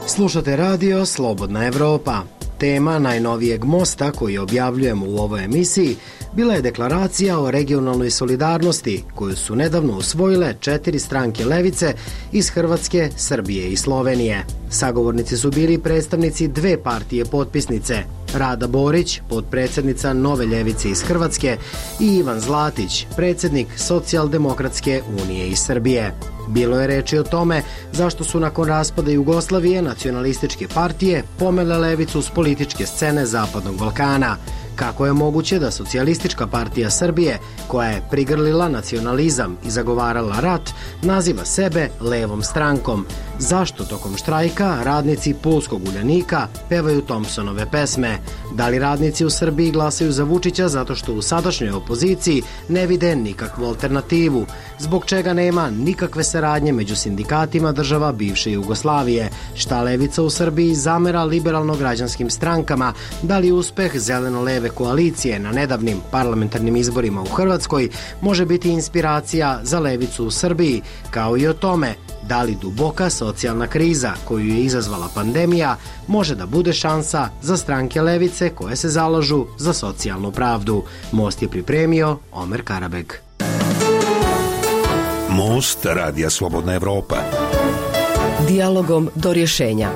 Slušate radio Slobodna Evropa. Tema najnovijeg mosta koji objavljujemo u ovoj emisiji bila je deklaracija o regionalnoj solidarnosti koju su nedavno usvojile četiri stranke levice iz Hrvatske, Srbije i Slovenije. Sagovornici su bili predstavnici dve partije potpisnice, Rada Borić, potpredsjednica Nove ljevice iz Hrvatske, i Ivan Zlatić, predsjednik Socijaldemokratske unije iz Srbije. Bilo je reči o tome zašto su nakon raspada Jugoslavije nacionalističke partije pomele levicu s političke scene Zapadnog Balkana. Kako je moguće da Socijalistička partija Srbije, koja je prigrlila nacionalizam i zagovarala rat, naziva sebe levom strankom? Zašto tokom štrajka radnici Pulskog Uljanika pevaju Thompsonove pesme? Da li radnici u Srbiji glasaju za Vučića zato što u sadašnjoj opoziciji ne vide nikakvu alternativu? Zbog čega nema nikakve saradnje među sindikatima država bivše Jugoslavije? Šta levica u Srbiji zamera liberalno-građanskim strankama? Da li uspeh zeleno-leve koalicije na nedavnim parlamentarnim izborima u Hrvatskoj može biti inspiracija za levicu u Srbiji, kao i o tome da li duboka socijalna kriza koju je izazvala pandemija može da bude šansa za stranke levice koje se zalažu za socijalnu pravdu. Most je pripremio Omer Karabeg. Most radija Slobodna Evropa. Dijalogom do rješenja.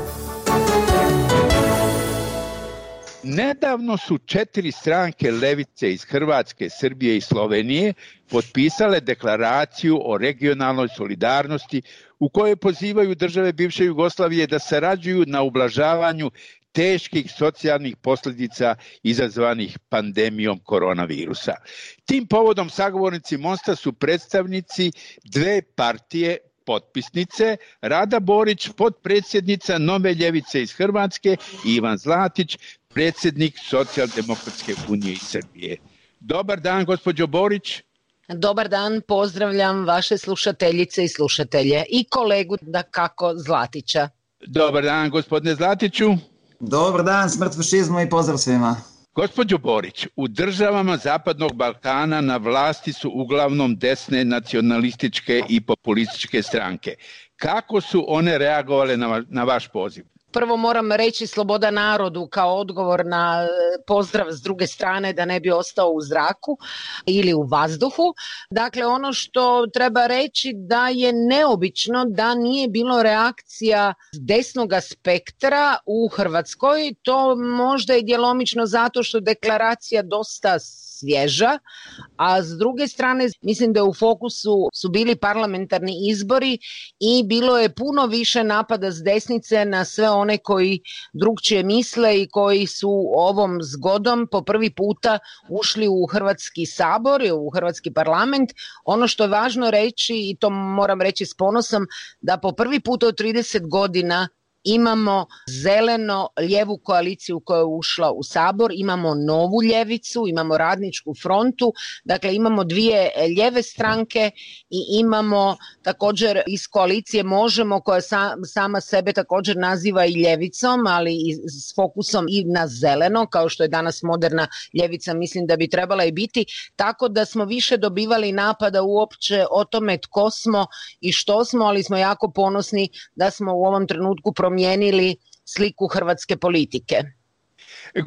Nedavno su četiri stranke levice iz Hrvatske, Srbije i Slovenije potpisale deklaraciju o regionalnoj solidarnosti u kojoj pozivaju države bivše Jugoslavije da sarađuju na ublažavanju teških socijalnih posljedica izazvanih pandemijom koronavirusa. Tim povodom sagovornici Mosta su predstavnici dve partije potpisnice, Rada Borić, potpredsjednica Nove ljevice iz Hrvatske, i Ivan Zlatić, predsjednik Socijaldemokratske unije iz Srbije. Dobar dan, gospođo Borić. Dobar dan, pozdravljam vaše slušateljice i slušatelje i kolegu dakako Zlatića. Dobar dan, gospodine Zlatiću. Dobar dan, smrt fašizmu i pozdrav svima. Gospođo Borić, u državama Zapadnog Balkana na vlasti su uglavnom desne nacionalističke i populističke stranke. Kako su one reagovale na, na vaš poziv? Prvo moram reći sloboda narodu kao odgovor na pozdrav s druge strane da ne bi ostao u zraku ili u vazduhu. Dakle, ono što treba reći da je neobično da nije bilo reakcija desnog spektra u Hrvatskoj. To možda je djelomično zato što deklaracija dosta svježa, a s druge strane mislim da u fokusu su bili parlamentarni izbori i bilo je puno više napada s desnice na sve one koji drugčije misle i koji su ovom zgodom po prvi puta ušli u Hrvatski sabor, u Hrvatski parlament. Ono što je važno reći, i to moram reći s ponosom, da po prvi put od trideset godina imamo zeleno-lijevu koaliciju koja je ušla u sabor, imamo novu ljevicu, imamo radničku frontu, dakle imamo dvije lijeve stranke i imamo također iz koalicije Možemo koja sa, sama sebe također naziva i ljevicom, ali i s fokusom i na zeleno, kao što je danas moderna ljevica, mislim da bi trebala i biti, tako da smo više dobivali napada uopće o tome tko smo i što smo, ali smo jako ponosni da smo u ovom trenutku promijenili sliku hrvatske politike.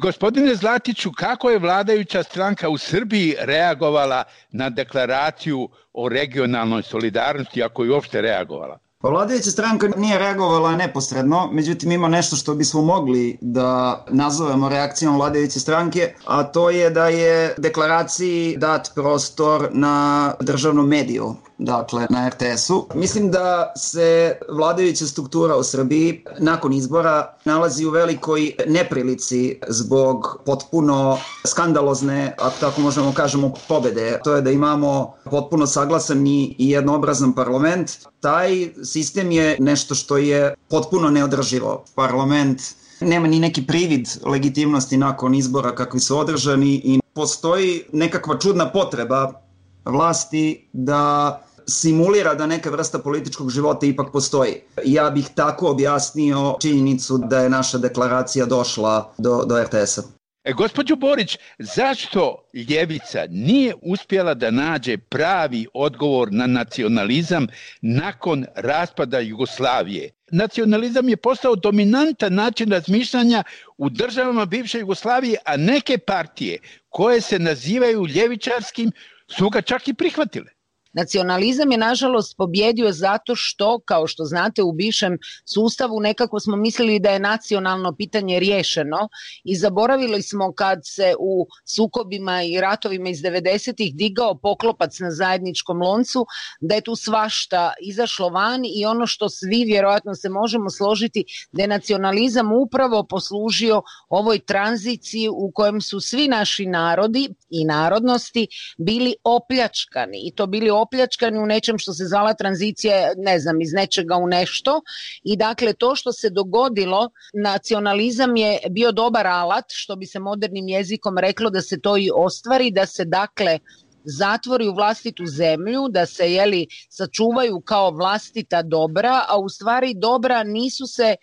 Gospodine Zlatiću, kako je vladajuća stranka u Srbiji reagovala na deklaraciju o regionalnoj solidarnosti, ako je uopšte reagovala? Pa vladajuća stranka nije reagovala neposredno, međutim ima nešto što bismo mogli da nazovemo reakcijom vladajuće stranke, a to je da je deklaraciji dat prostor na državnom mediju, dakle na er te esu. Mislim da se vladajuća struktura u Srbiji nakon izbora nalazi u velikoj neprilici zbog potpuno skandalozne, ako tako možemo kažemo, pobede. To je da imamo potpuno saglasan i jednoobrazan parlament. Taj sistem je nešto što je potpuno neodrživo. Parlament nema ni neki privid legitimnosti nakon izbora kakvi su održani i postoji nekakva čudna potreba vlasti da simulira da neka vrsta političkog života ipak postoji. Ja bih tako objasnio činjenicu da je naša deklaracija došla do, do er te esa. E, gospođo Borić, zašto ljevica nije uspjela da nađe pravi odgovor na nacionalizam nakon raspada Jugoslavije? Nacionalizam je postao dominantan način razmišljanja u državama bivše Jugoslavije, a neke partije koje se nazivaju ljevičarskim su ga čak i prihvatile. Nacionalizam je nažalost pobjedio zato što, kao što znate, u bivšem sustavu nekako smo mislili da je nacionalno pitanje riješeno i zaboravili smo kad se u sukobima i ratovima iz devedesetih digao poklopac na zajedničkom loncu, da je tu svašta izašlo van i ono što svi vjerojatno se možemo složiti da je nacionalizam upravo poslužio ovoj tranziciji u kojem su svi naši narodi i narodnosti bili opljačkani i to bili opljačkani u nečem što se zvala tranzicija, ne znam, iz nečega u nešto i dakle to što se dogodilo, nacionalizam je bio dobar alat, što bi se modernim jezikom reklo da se to i ostvari, da se dakle zatvori u vlastitu zemlju, da se jeli, sačuvaju kao vlastita dobra, a u stvari dobra nisu se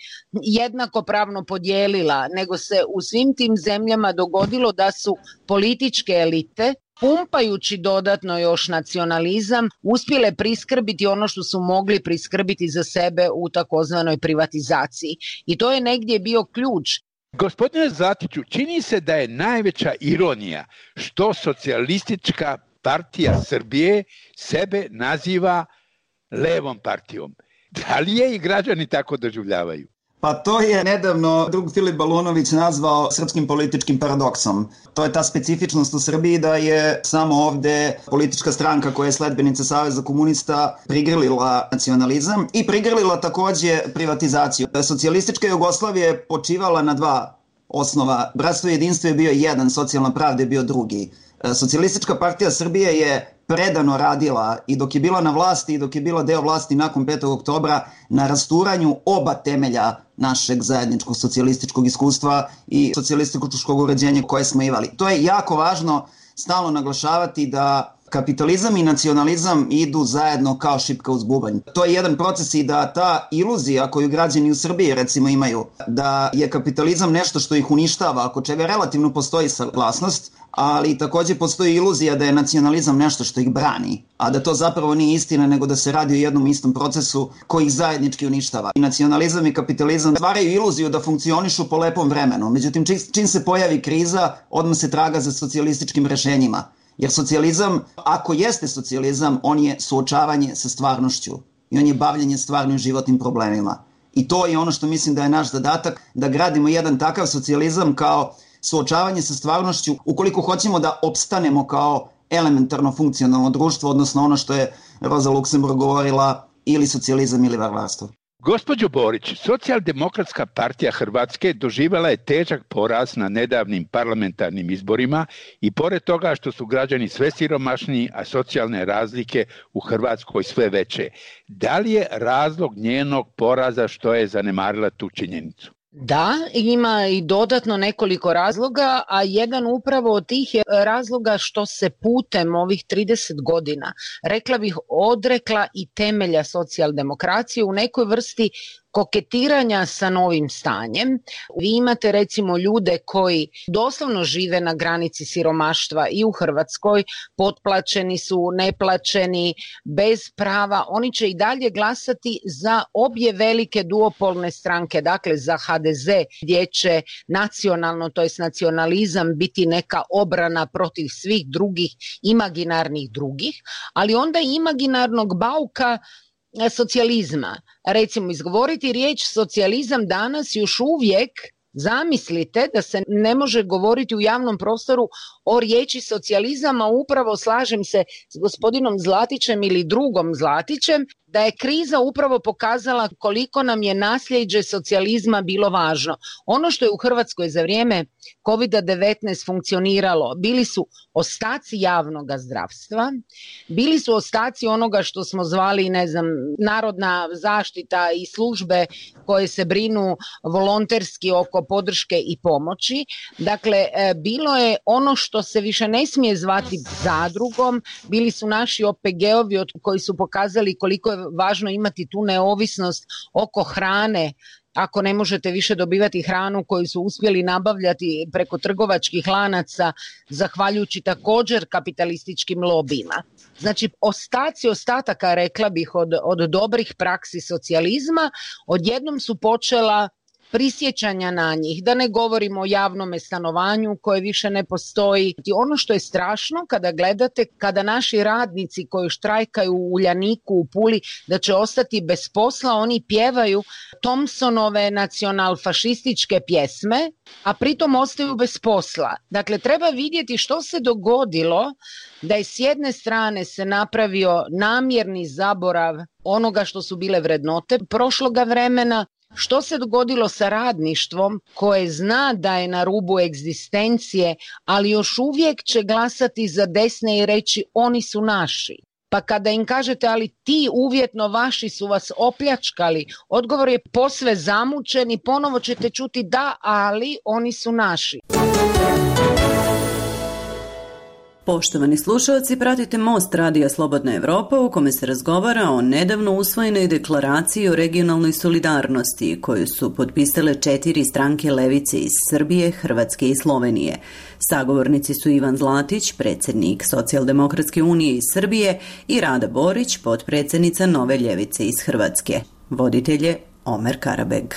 jednakopravno podijelila, nego se u svim tim zemljama dogodilo da su političke elite, pumpajući dodatno još nacionalizam, uspjele priskrbiti ono što su mogli priskrbiti za sebe u takozvanoj privatizaciji. I to je negdje bio ključ. Gospodine Zlatiću, čini se da je najveća ironija što socijalistička partija Srbije sebe naziva levom partijom. Da li je i građani tako doživljavaju? Pa to je nedavno drug Filip Balunović nazvao srpskim političkim paradoksom. To je ta specifičnost u Srbiji da je samo ovde politička stranka koja je sledbenica Saveza komunista prigrlila nacionalizam i prigrlila takođe privatizaciju. Socijalistička Jugoslavija je počivala na dva osnova. Bratstvo i jedinstvo je bio jedan, socijalna pravda je bio drugi. Socijalistička partija Srbije je predano radila i dok je bila na vlasti i dok je bila deo vlasti nakon petog oktobra na rasturanju oba temelja našeg zajedničkog socijalističkog iskustva i socijalističkog uređenja koje smo imali. To je jako važno stalno naglašavati da kapitalizam i nacionalizam idu zajedno kao šipka uz bubanj. To je jedan proces i da ta iluzija koju građani u Srbiji recimo imaju, da je kapitalizam nešto što ih uništava, ako čega relativno postoji saglasnost, ali takođe postoji iluzija da je nacionalizam nešto što ih brani, a da to zapravo nije istina, nego da se radi o jednom istom procesu koji ih zajednički uništava. I nacionalizam i kapitalizam stvaraju iluziju da funkcionišu po lepom vremenu, međutim čim se pojavi kriza, odmah se traga za socijalističkim rešenjima. Jer socijalizam, ako jeste socijalizam, on je suočavanje sa stvarnošću i on je bavljenje stvarnim životnim problemima. I to je ono što mislim da je naš zadatak, da gradimo jedan takav socijalizam kao suočavanje sa stvarnošću ukoliko hoćemo da opstanemo kao elementarno funkcionalno društvo, odnosno ono što je Roza Luksemburg govorila, ili socijalizam ili varvarstvo. Gospođo Borić, Socijaldemokratska partija Hrvatske doživjela je težak poraz na nedavnim parlamentarnim izborima i pored toga što su građani sve siromašniji, a socijalne razlike u Hrvatskoj sve veće. Da li je razlog njenog poraza što je zanemarila tu činjenicu? Da, ima i dodatno nekoliko razloga, a jedan upravo od tih je razloga što se putem ovih trideset godina, rekla bih, odrekla i temelja socijaldemokracije u nekoj vrsti koketiranja sa novim stanjem. Vi imate recimo ljude koji doslovno žive na granici siromaštva i u Hrvatskoj, potplaćeni su, neplaćeni, bez prava. Oni će i dalje glasati za obje velike duopolne stranke, dakle za ha de ze gdje će nacionalno, to jest nacionalizam biti neka obrana protiv svih drugih imaginarnih drugih, ali onda i imaginarnog bauka socijalizma. Recimo, izgovoriti riječ socijalizam danas još uvijek, zamislite da se ne može govoriti u javnom prostoru o riječi socijalizam, a upravo slažem se s gospodinom Zlatićem ili drugom Zlatićem, da je kriza upravo pokazala koliko nam je nasljeđe socijalizma bilo važno. Ono što je u Hrvatskoj za vrijeme kovid devetnaest funkcioniralo, bili su ostaci javnog zdravstva, bili su ostaci onoga što smo zvali, ne znam, narodna zaštita i službe koje se brinu volonterski oko podrške i pomoći. Dakle, bilo je ono što se više ne smije zvati zadrugom, bili su naši o pe ge ovi koji su pokazali koliko je važno imati tu neovisnost oko hrane, ako ne možete više dobivati hranu koju su uspjeli nabavljati preko trgovačkih lanaca, zahvaljujući također kapitalističkim lobijima. Znači, ostaci ostataka, rekla bih, od, od dobrih praksi socijalizma, odjednom su počela prisjećanja na njih, da ne govorimo o javnom stanovanju koje više ne postoji. Ono što je strašno kada gledate, kada naši radnici koji štrajkaju u Uljaniku, u Puli, da će ostati bez posla, oni pjevaju Thompsonove nacionalfašističke pjesme, a pritom ostaju bez posla. Dakle, treba vidjeti što se dogodilo da je s jedne strane se napravio namjerni zaborav onoga što su bile vrednote prošloga vremena. Što se dogodilo sa radništvom koje zna da je na rubu egzistencije, ali još uvijek će glasati za desne i reći oni su naši. Pa kada im kažete ali ti uvjetno vaši su vas opljačkali, odgovor je posve zamućen i ponovo ćete čuti da, ali oni su naši. Poštovani slušalci, pratite Most Radija Slobodna Evropa u kome se razgovara o nedavno usvojenoj deklaraciji o regionalnoj solidarnosti koju su potpisale četiri stranke levice iz Srbije, Hrvatske i Slovenije. Sagovornici su Ivan Zlatić, predsjednik Socijaldemokratske unije iz Srbije, i Rada Borić, potpredsjednica Nove ljevice iz Hrvatske. Voditelj je Omer Karabeg.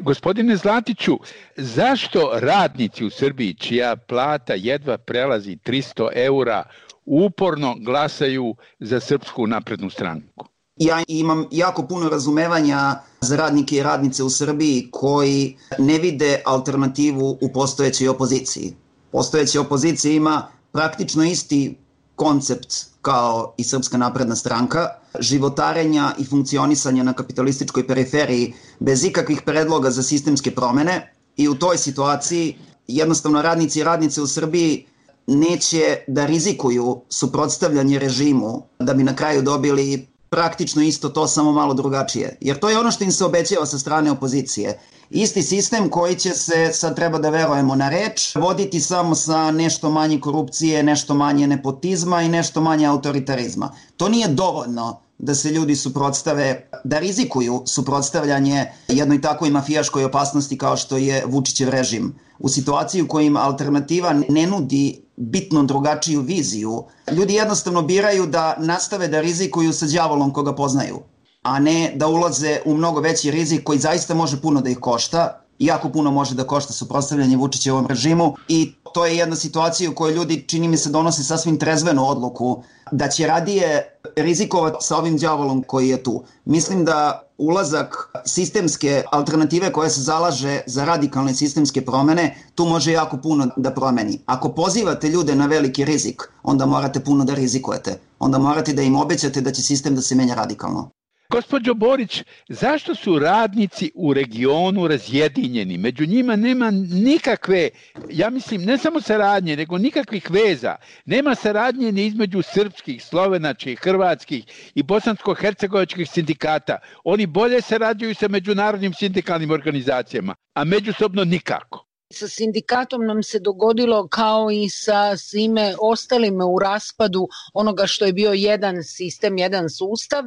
Gospodine Zlatiću, zašto radnici u Srbiji, čija plata jedva prelazi tristo eura, uporno glasaju za Srpsku naprednu stranku? Ja imam jako puno razumevanja za radnike i radnice u Srbiji koji ne vide alternativu u postojećoj opoziciji. Postojeća opozicija ima praktično isti koncept kao i Srpska napredna stranka, životarenja i funkcionisanja na kapitalističkoj periferiji bez ikakvih predloga za sistemske promene, i u toj situaciji jednostavno radnici i radnice u Srbiji neće da rizikuju suprotstavljanje režimu da bi na kraju dobili praktično isto to, samo malo drugačije. Jer to je ono što im se obećava sa strane opozicije. Isti sistem koji će se, sad treba da verujemo na reč, voditi samo sa nešto manje korupcije, nešto manje nepotizma i nešto manje autoritarizma. To nije dovoljno da se ljudi suprotstave, da rizikuju suprotstavljanje jednoj takvoj mafijaškoj opasnosti kao što je Vučićev režim. U situaciji u kojim alternativa ne nudi bitno drugačiju viziju, ljudi jednostavno biraju da nastave da rizikuju sa đavolom koga poznaju, a ne da ulaze u mnogo veći rizik koji zaista može puno da ih košta, jako puno može da košta suprotstavljanje Vučićevom režimu, i to je jedna situacija u kojoj ljudi, čini mi se, donose sasvim trezvenu odluku da će radije rizikovati sa ovim đavolom koji je tu. Mislim da ulazak sistemske alternative koja se zalaže za radikalne sistemske promene tu može jako puno da promeni. Ako pozivate ljude na veliki rizik, onda morate puno da rizikujete. Onda morate da im obećate da će sistem da se menja radikalno. Gospođo Borić, zašto su radnici u regionu razjedinjeni? Među njima nema nikakve, ja mislim, ne samo saradnje, nego nikakvih veza. Nema saradnje ni između srpskih, slovenačkih, hrvatskih i bosansko-hercegovačkih sindikata. Oni bolje sarađuju sa međunarodnim sindikalnim organizacijama, a međusobno nikako. Sa sindikatom nam se dogodilo kao i sa svime ostalime u raspadu onoga što je bio jedan sistem, jedan sustav.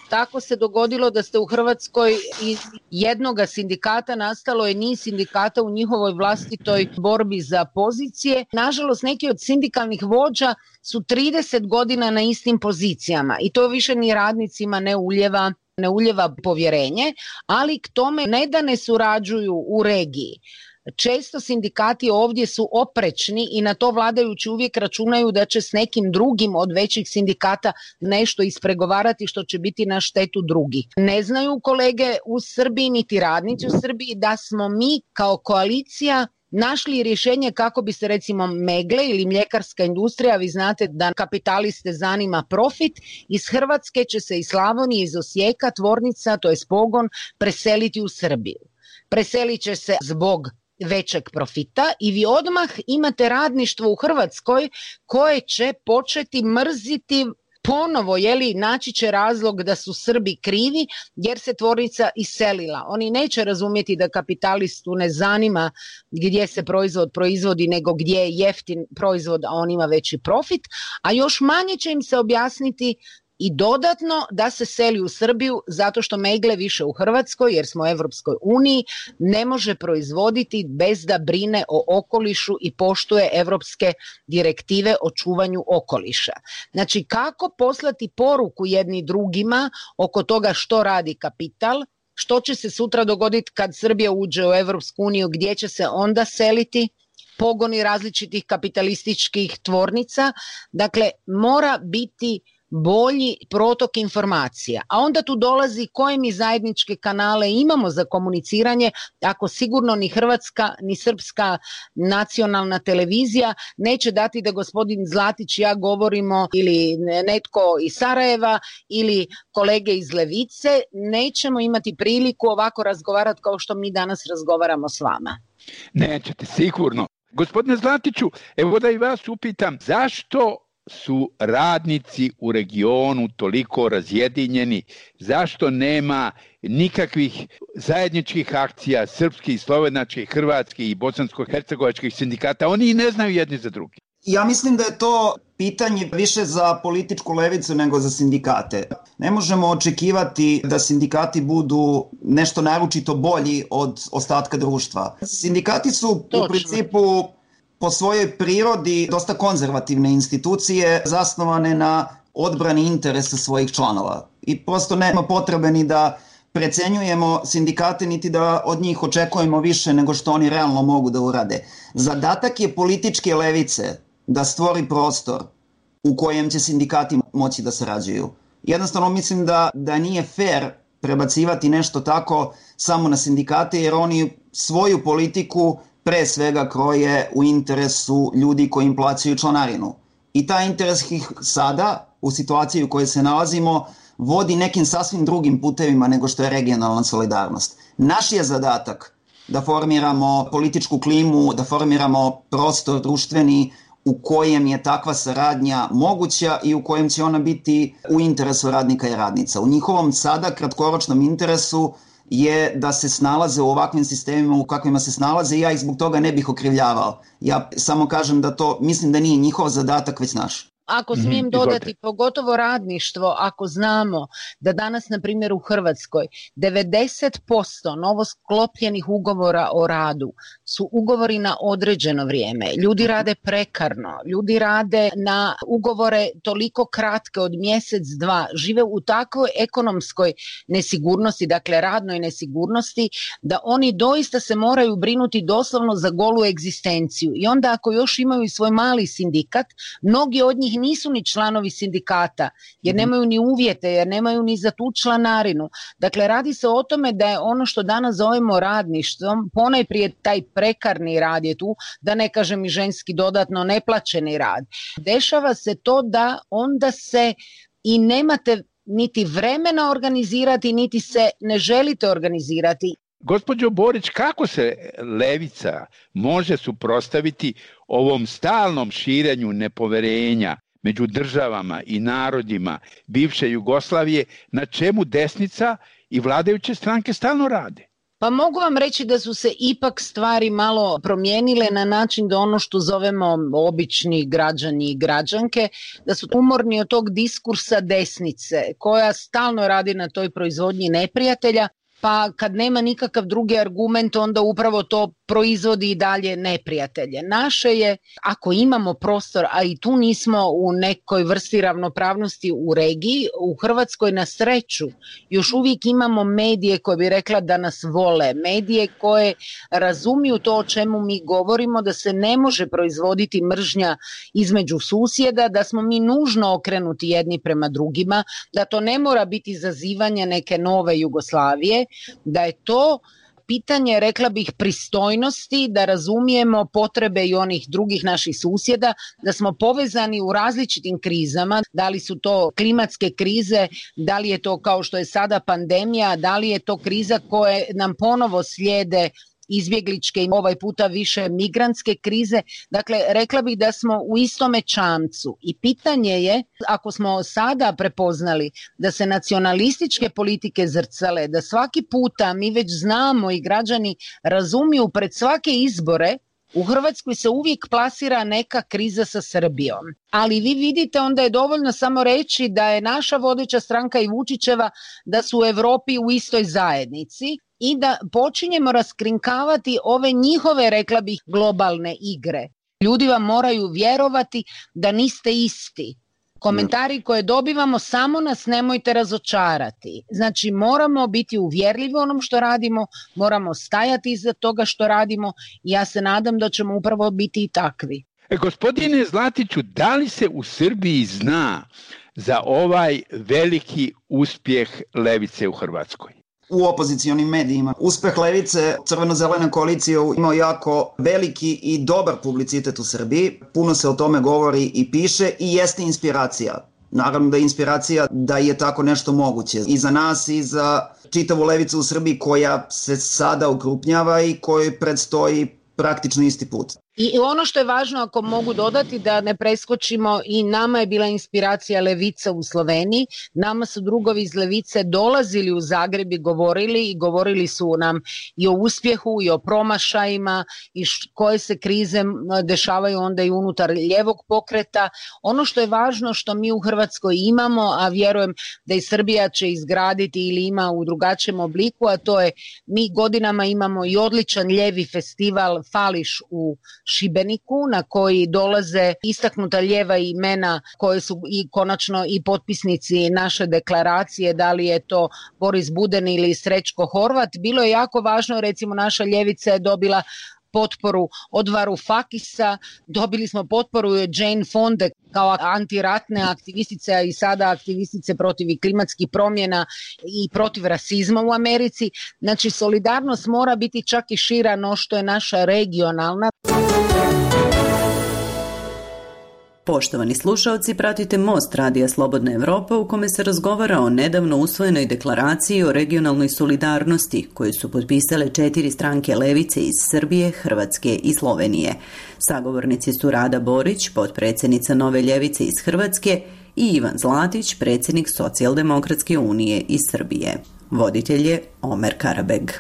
Tako se dogodilo da ste u Hrvatskoj iz jednoga sindikata nastalo je niz sindikata u njihovoj vlastitoj borbi za pozicije. Nažalost, neki od sindikalnih vođa su trideset godina na istim pozicijama i to više ni radnicima ne uljeva ne uljeva povjerenje, ali k tome ne da ne surađuju u regiji. Često sindikati ovdje su oprečni i na to vladajući uvijek računaju da će s nekim drugim od većih sindikata nešto ispregovarati što će biti na štetu drugih. Ne znaju kolege u Srbiji niti radnici u Srbiji da smo mi kao koalicija našli rješenje kako bi se recimo Megle ili mljekarska industrija, vi znate da kapitaliste zanima profit, iz Hrvatske će se iz Slavonije, iz Osijeka, tvornica, to je pogon, preseliti u Srbiju. Preselit će se zbog većeg profita i vi odmah imate radništvo u Hrvatskoj koje će početi mrziti ponovo, jeli, naći će razlog da su Srbi krivi jer se tvornica iselila. Oni neće razumjeti da kapitalistu ne zanima gdje se proizvod proizvodi nego gdje je jeftin proizvod, a on ima veći profit, a još manje će im se objasniti i dodatno da se seli u Srbiju zato što Megle više u Hrvatskoj, jer smo u Europskoj uniji, ne može proizvoditi bez da brine o okolišu i poštuje europske direktive o čuvanju okoliša. Znači, kako poslati poruku jedni drugima oko toga što radi kapital, što će se sutra dogoditi kad Srbija uđe u Europsku uniju, gdje će se onda seliti pogoni različitih kapitalističkih tvornica. Dakle, mora biti bolji protok informacija. A onda tu dolazi koje mi zajedničke kanale imamo za komuniciranje, ako sigurno ni hrvatska ni srpska nacionalna televizija neće dati da gospodin Zlatić i ja govorimo ili netko iz Sarajeva ili kolege iz Levice, nećemo imati priliku ovako razgovarati kao što mi danas razgovaramo s vama. Nećete, sigurno. Gospodine Zlatiću, evo da i vas upitam, zašto su radnici u regionu toliko razjedinjeni, zašto nema nikakvih zajedničkih akcija srpskih, slovenačkih, hrvatskih i bosansko-hercegovačkih sindikata? Oni i ne znaju jedni za drugi. Ja mislim da je to pitanje više za političku levicu nego za sindikate. Ne možemo očekivati da sindikati budu nešto naročito bolji od ostatka društva. Sindikati su Točno. u principu po svojoj prirodi dosta konzervativne institucije zasnovane na odbrani interesa svojih članova. I prosto nema potrebe ni da precenjujemo sindikate niti da od njih očekujemo više nego što oni realno mogu da urade. Zadatak je političke levice da stvori prostor u kojem će sindikati moći da sarađuju. Jednostavno mislim da, da nije fair prebacivati nešto tako samo na sindikate, jer oni svoju politiku pre svega kroje u interesu ljudi koji im plaćaju članarinu. I taj interes ih sada, u situaciji u kojoj se nalazimo, vodi nekim sasvim drugim putevima nego što je regionalna solidarnost. Naš je zadatak da formiramo političku klimu, da formiramo prostor društveni u kojem je takva saradnja moguća i u kojem će ona biti u interesu radnika i radnica. U njihovom sada kratkoročnom interesu je da se snalaze u ovakvim sistemima u kakvima se snalaze i ja ih zbog toga ne bih okrivljavao. Ja samo kažem da to, mislim da nije njihov zadatak, već naš. Ako smijem mm-hmm, dodati, pogotovo radništvo, ako znamo da danas, na primjer, u Hrvatskoj devedeset posto novosklopljenih ugovora o radu su ugovori na određeno vrijeme. Ljudi rade prekarno, ljudi rade na ugovore toliko kratke od mjesec, dva, žive u takvoj ekonomskoj nesigurnosti, dakle radnoj nesigurnosti, da oni doista se moraju brinuti doslovno za golu egzistenciju. I onda ako još imaju i svoj mali sindikat, mnogi od njih nisu ni članovi sindikata, jer nemaju ni uvjete, jer nemaju ni za tu članarinu. Dakle, radi se o tome da je ono što danas zovemo radništvom, ponajprije taj prekarni rad je tu, da ne kažem i ženski dodatno neplaćeni rad. Dešava se to da onda se i nemate niti vremena organizirati, niti se ne želite organizirati. Gospođo Borić, kako se levica može suprotstaviti ovom stalnom širenju nepoverenja među državama i narodima bivše Jugoslavije, na čemu desnica i vladajuće stranke stalno rade? Pa mogu vam reći da su se ipak stvari malo promijenile na način da ono što zovemo obični građani i građanke, da su umorni od tog diskursa desnice koja stalno radi na toj proizvodnji neprijatelja, pa kad nema nikakav drugi argument, onda upravo to proizvodi i dalje neprijatelje. Naše je, ako imamo prostor, a i tu nismo u nekoj vrsti ravnopravnosti u regiji, u Hrvatskoj na sreću još uvijek imamo medije koje bi rekla da nas vole, medije koje razumiju to o čemu mi govorimo, da se ne može proizvoditi mržnja između susjeda, da smo mi nužno okrenuti jedni prema drugima, da to ne mora biti zazivanje neke nove Jugoslavije, da je to pitanje, rekla bih, pristojnosti, da razumijemo potrebe i onih drugih naših susjeda, da smo povezani u različitim krizama, da li su to klimatske krize, da li je to kao što je sada pandemija, da li je to kriza koje nam ponovo slijede izbjegličke i ovaj puta više migrantske krize. Dakle, rekla bih da smo u istome čamcu i pitanje je, ako smo sada prepoznali da se nacionalističke politike zrcale, da svaki puta mi već znamo i građani razumiju pred svake izbore, u Hrvatskoj se uvijek plasira neka kriza sa Srbijom. Ali vi vidite, onda je dovoljno samo reći da je naša vodeća stranka i Vučićeva da su u Europi u istoj zajednici i da počinjemo raskrinkavati ove njihove, rekla bih, globalne igre. Ljudi vam moraju vjerovati da niste isti. Komentari koje dobivamo, samo nas nemojte razočarati. Znači, moramo biti uvjerljivi u onom što radimo, moramo stajati iza toga što radimo i ja se nadam da ćemo upravo biti i takvi. E, gospodine Zlatiću, da li se u Srbiji zna za ovaj veliki uspjeh levice u Hrvatskoj? U opozicionim medijima. Uspeh levice, crveno-zelena koalicija imao jako veliki i dobar publicitet u Srbiji. Puno se o tome govori i piše i jeste inspiracija. Naravno da je inspiracija da je tako nešto moguće. I za nas i za čitavu levicu u Srbiji koja se sada ukrupnjava i kojoj predstoji praktično isti put. I ono što je važno, ako mogu dodati, da ne preskočimo, i nama je bila inspiracija levica u Sloveniji. Nama su drugovi iz levice dolazili u Zagreb i govorili i govorili su nam i o uspjehu i o promašajima i koje se krize dešavaju onda i unutar ljevog pokreta. Ono što je važno, što mi u Hrvatskoj imamo, a vjerujem da i Srbija će izgraditi ili ima u drugačijem obliku, a to je, mi godinama imamo i odličan ljevi festival Fališ u Šibeniku, na koji dolaze istaknuta lijeva imena koje su i konačno i potpisnici naše deklaracije, da li je to Boris Buden ili Srećko Horvat. Bilo je jako važno, recimo naša ljevica je dobila potporu od Varoufakisa, dobili smo potporu Jane Fonda kao antiratne aktivistice i sada aktivistice protiv klimatskih promjena i protiv rasizma u Americi. Znači, solidarnost mora biti čak i šira no što je naša regionalna. Poštovani slušaoci, pratite Most Radija Slobodna Evropa u kome se razgovara o nedavno usvojenoj deklaraciji o regionalnoj solidarnosti koju su potpisale četiri stranke levice iz Srbije, Hrvatske i Slovenije. Sagovornici su Rada Borić, potpredsjednica Nove ljevice iz Hrvatske, i Ivan Zlatić, predsjednik Socijaldemokratske unije iz Srbije. Voditelj je Omer Karabeg.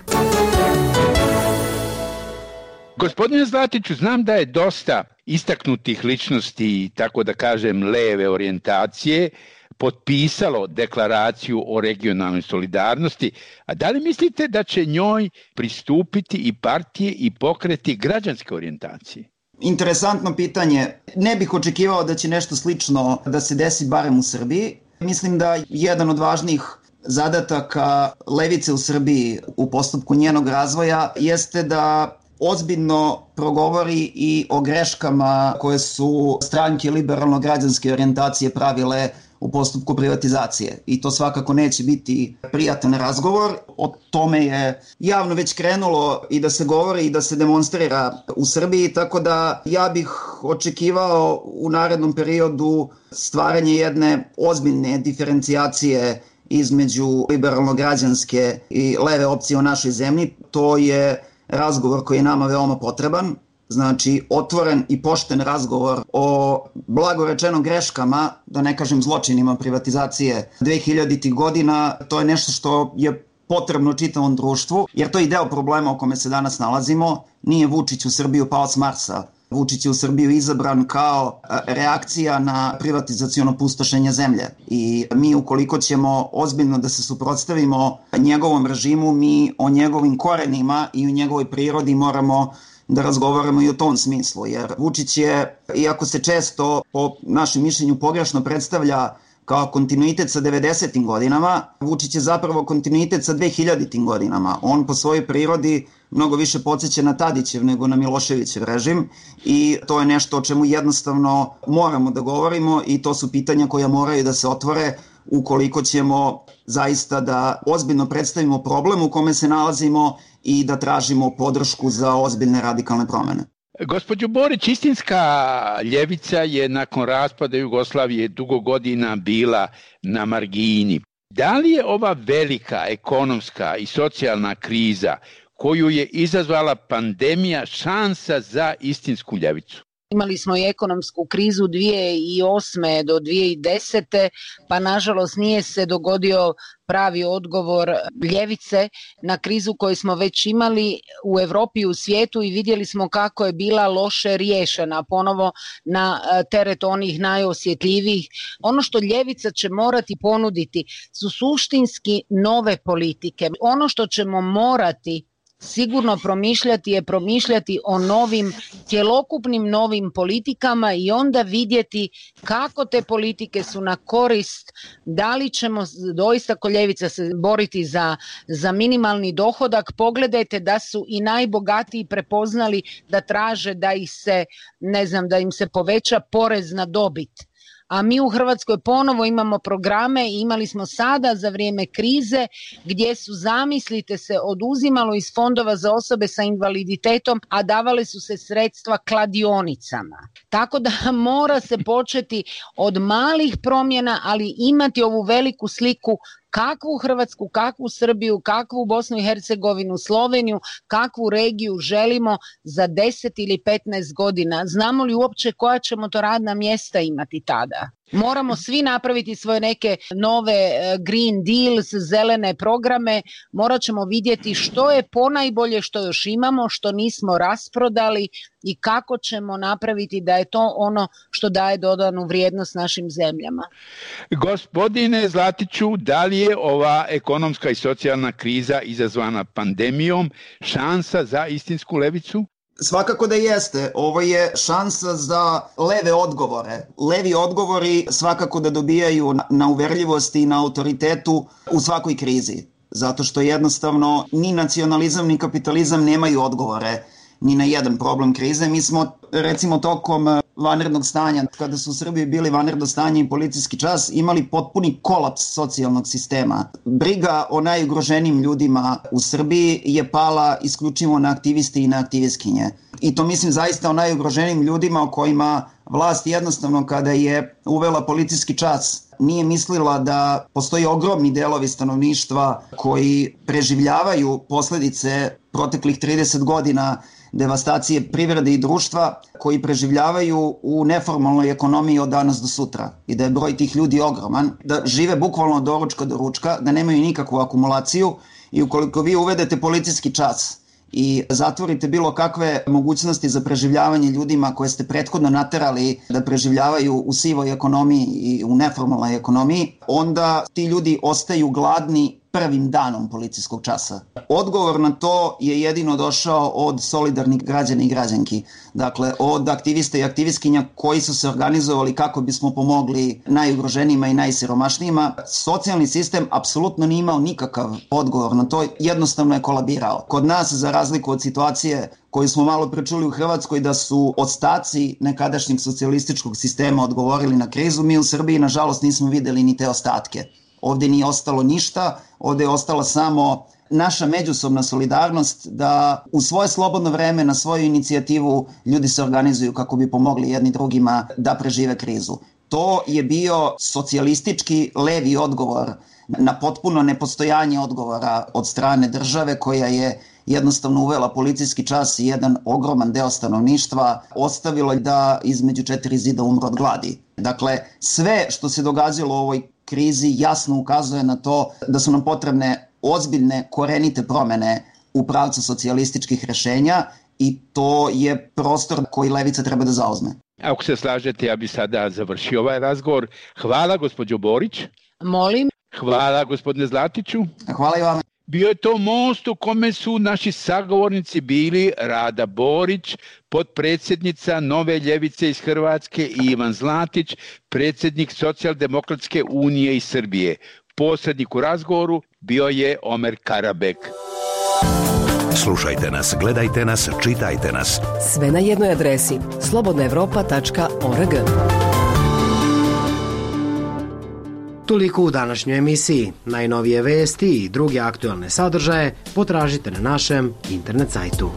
Gospodine Zlatiću, znam da je dosta istaknutih ličnosti, tako da kažem leve orijentacije, potpisalo deklaraciju o regionalnoj solidarnosti, a da li mislite da će njoj pristupiti i partije i pokreti građanske orijentacije? Interesantno pitanje. Ne bih očekivao da će nešto slično da se desi barem u Srbiji. Mislim da jedan od važnijih zadataka levice u Srbiji u postupku njenog razvoja jeste da ozbiljno progovori i o greškama koje su stranke liberalno-građanske orijentacije pravile u postupku privatizacije. I to svakako neće biti prijatan razgovor. O tome je javno već krenulo i da se govori i da se demonstrira u Srbiji, tako da ja bih očekivao u narednom periodu stvaranje jedne ozbiljne diferencijacije između liberalno-građanske i leve opcije u našoj zemlji. To je razgovor koji je nama veoma potreban, znači otvoren i pošten razgovor o blagorečeno greškama, da ne kažem zločinima privatizacije dvehiljaditih godina. To je nešto što je potrebno čitavom društvu, jer to je i deo problema o kome se danas nalazimo. Nije Vučić u Srbiju pao s Marsa. Vučić je u Srbiju izabran kao reakcija na privatizaciono pustošenje zemlje. I mi ukoliko ćemo ozbiljno da se suprotstavimo njegovom režimu, mi o njegovim korenima i o njegovoj prirodi moramo da razgovaramo i u tom smislu. Jer Vučić je, iako se često po našem mišljenju pogrešno predstavlja kao kontinuitet sa devedesetim godinama, Vučić je zapravo kontinuitet sa dvehiljaditim godinama. On po svojoj prirodi mnogo više podsjeća na Tadićev nego na Miloševićev režim i to je nešto o čemu jednostavno moramo da govorimo i to su pitanja koja moraju da se otvore ukoliko ćemo zaista da ozbiljno predstavimo problem u kome se nalazimo i da tražimo podršku za ozbiljne radikalne promene. Gospođo Borić, istinska ljevica je nakon raspada Jugoslavije dugo godina bila na margini. Da li je ova velika ekonomska i socijalna kriza koju je izazvala pandemija šansa za istinsku ljevicu? Imali smo i ekonomsku krizu dvije tisuće osme do dvije tisuće desete, pa nažalost nije se dogodio pravi odgovor ljevice na krizu koju smo već imali u Evropi i u svijetu i vidjeli smo kako je bila loše riješena, ponovo na teret onih najosjetljivijih. Ono što ljevica će morati ponuditi su suštinski nove politike. Ono što ćemo morati sigurno promišljati je promišljati o novim, cjelokupnim novim politikama i onda vidjeti kako te politike su na korist, da li ćemo doista ko ljevica se boriti za, za minimalni dohodak. Pogledajte da su i najbogatiji prepoznali da traže da ih se, ne znam, da im se poveća porez na dobit. A mi u Hrvatskoj ponovo imamo programe i imali smo sada za vrijeme krize gdje su, zamislite se, oduzimalo iz fondova za osobe sa invaliditetom, a davale su se sredstva kladionicama. Tako da mora se početi od malih promjena, ali imati ovu veliku sliku kakvu Hrvatsku, kakvu Srbiju, kakvu Bosnu i Hercegovinu, Sloveniju, kakvu regiju želimo za deset ili petnaest godina. Znamo li uopće koja ćemo to radna mjesta imati tada? Moramo svi napraviti svoje neke nove Green Deals, zelene programe, morat ćemo vidjeti što je ponajbolje što još imamo, što nismo rasprodali i kako ćemo napraviti da je to ono što daje dodanu vrijednost našim zemljama. Gospodine Zlatiću, da li je ova ekonomska i socijalna kriza izazvana pandemijom šansa za istinsku levicu? Svakako da jeste. Ovo je šansa za leve odgovore. Levi odgovori svakako da dobijaju na uverljivosti i na autoritetu u svakoj krizi. Zato što jednostavno ni nacionalizam ni kapitalizam nemaju odgovore ni na jedan problem krize. Mi smo recimo tokom vanrednog stanja, kada su u Srbiji bili vanredno stanje i policijski čas, imali potpuni kolaps socijalnog sistema. Briga o najugroženijim ljudima u Srbiji je pala isključivo na aktivisti i na aktivistkinje. I to mislim zaista o najugroženijim ljudima o kojima vlast jednostavno kada je uvela policijski čas nije mislila da postoji ogromni delovi stanovništva koji preživljavaju posledice proteklih trideset godina devastacije privrede i društva, koji preživljavaju u neformalnoj ekonomiji od danas do sutra i da je broj tih ljudi ogroman, da žive bukvalno od doručka do ručka, da nemaju nikakvu akumulaciju i ukoliko vi uvedete policijski čas i zatvorite bilo kakve mogućnosti za preživljavanje ljudima koje ste prethodno naterali da preživljavaju u sivoj ekonomiji i u neformalnoj ekonomiji, onda ti ljudi ostaju gladni prvim danom policijskog časa. Odgovor na to je jedino došao od solidarnih građana i građanki. Dakle, od aktivista i aktivistkinja koji su se organizovali kako bismo pomogli najugroženijima i najsiromašnijima. Socijalni sistem apsolutno nije imao nikakav odgovor na to, jednostavno je kolabirao. Kod nas, za razliku od situacije koju smo malo prečuli u Hrvatskoj, da su ostaci nekadašnjeg socijalističkog sistema odgovorili na krizu, mi u Srbiji nažalost nismo videli ni te ostatke. Ovde nije ostalo ništa, ovde je ostala samo naša međusobna solidarnost da u svoje slobodno vreme, na svoju inicijativu ljudi se organizuju kako bi pomogli jedni drugima da prežive krizu. To je bio socijalistički levi odgovor na potpuno nepostojanje odgovora od strane države koja je jednostavno uvela policijski čas i jedan ogroman deo stanovništva ostavila da između četiri zida umre od gladi. Dakle, sve što se događalo u ovoj krizi jasno ukazuje na to da su nam potrebne ozbiljne, korenite promene u pravcu socijalističkih rešenja i to je prostor koji levica treba da zauzme. Ako se slažete, ja bi sada završio ovaj razgovor. Hvala, gospođo Borić. Molim. Hvala, gospodine Zlatiću. Hvala i vama. Bio je to most u kome su naši sagovornici bili Rada Borić, potpredsjednica Nove ljevice iz Hrvatske, i Ivan Zlatić, predsjednik Socijaldemokratske unije iz Srbije. Posrednik u razgovoru bio je Omer Karabek. Slušajte nas, gledajte nas, čitajte nas. Sve na jednoj adresi slobodna evropa tačka org. Toliko u današnjoj emisiji. Najnovije vesti i druge aktualne sadržaje potražite na našem internet sajtu.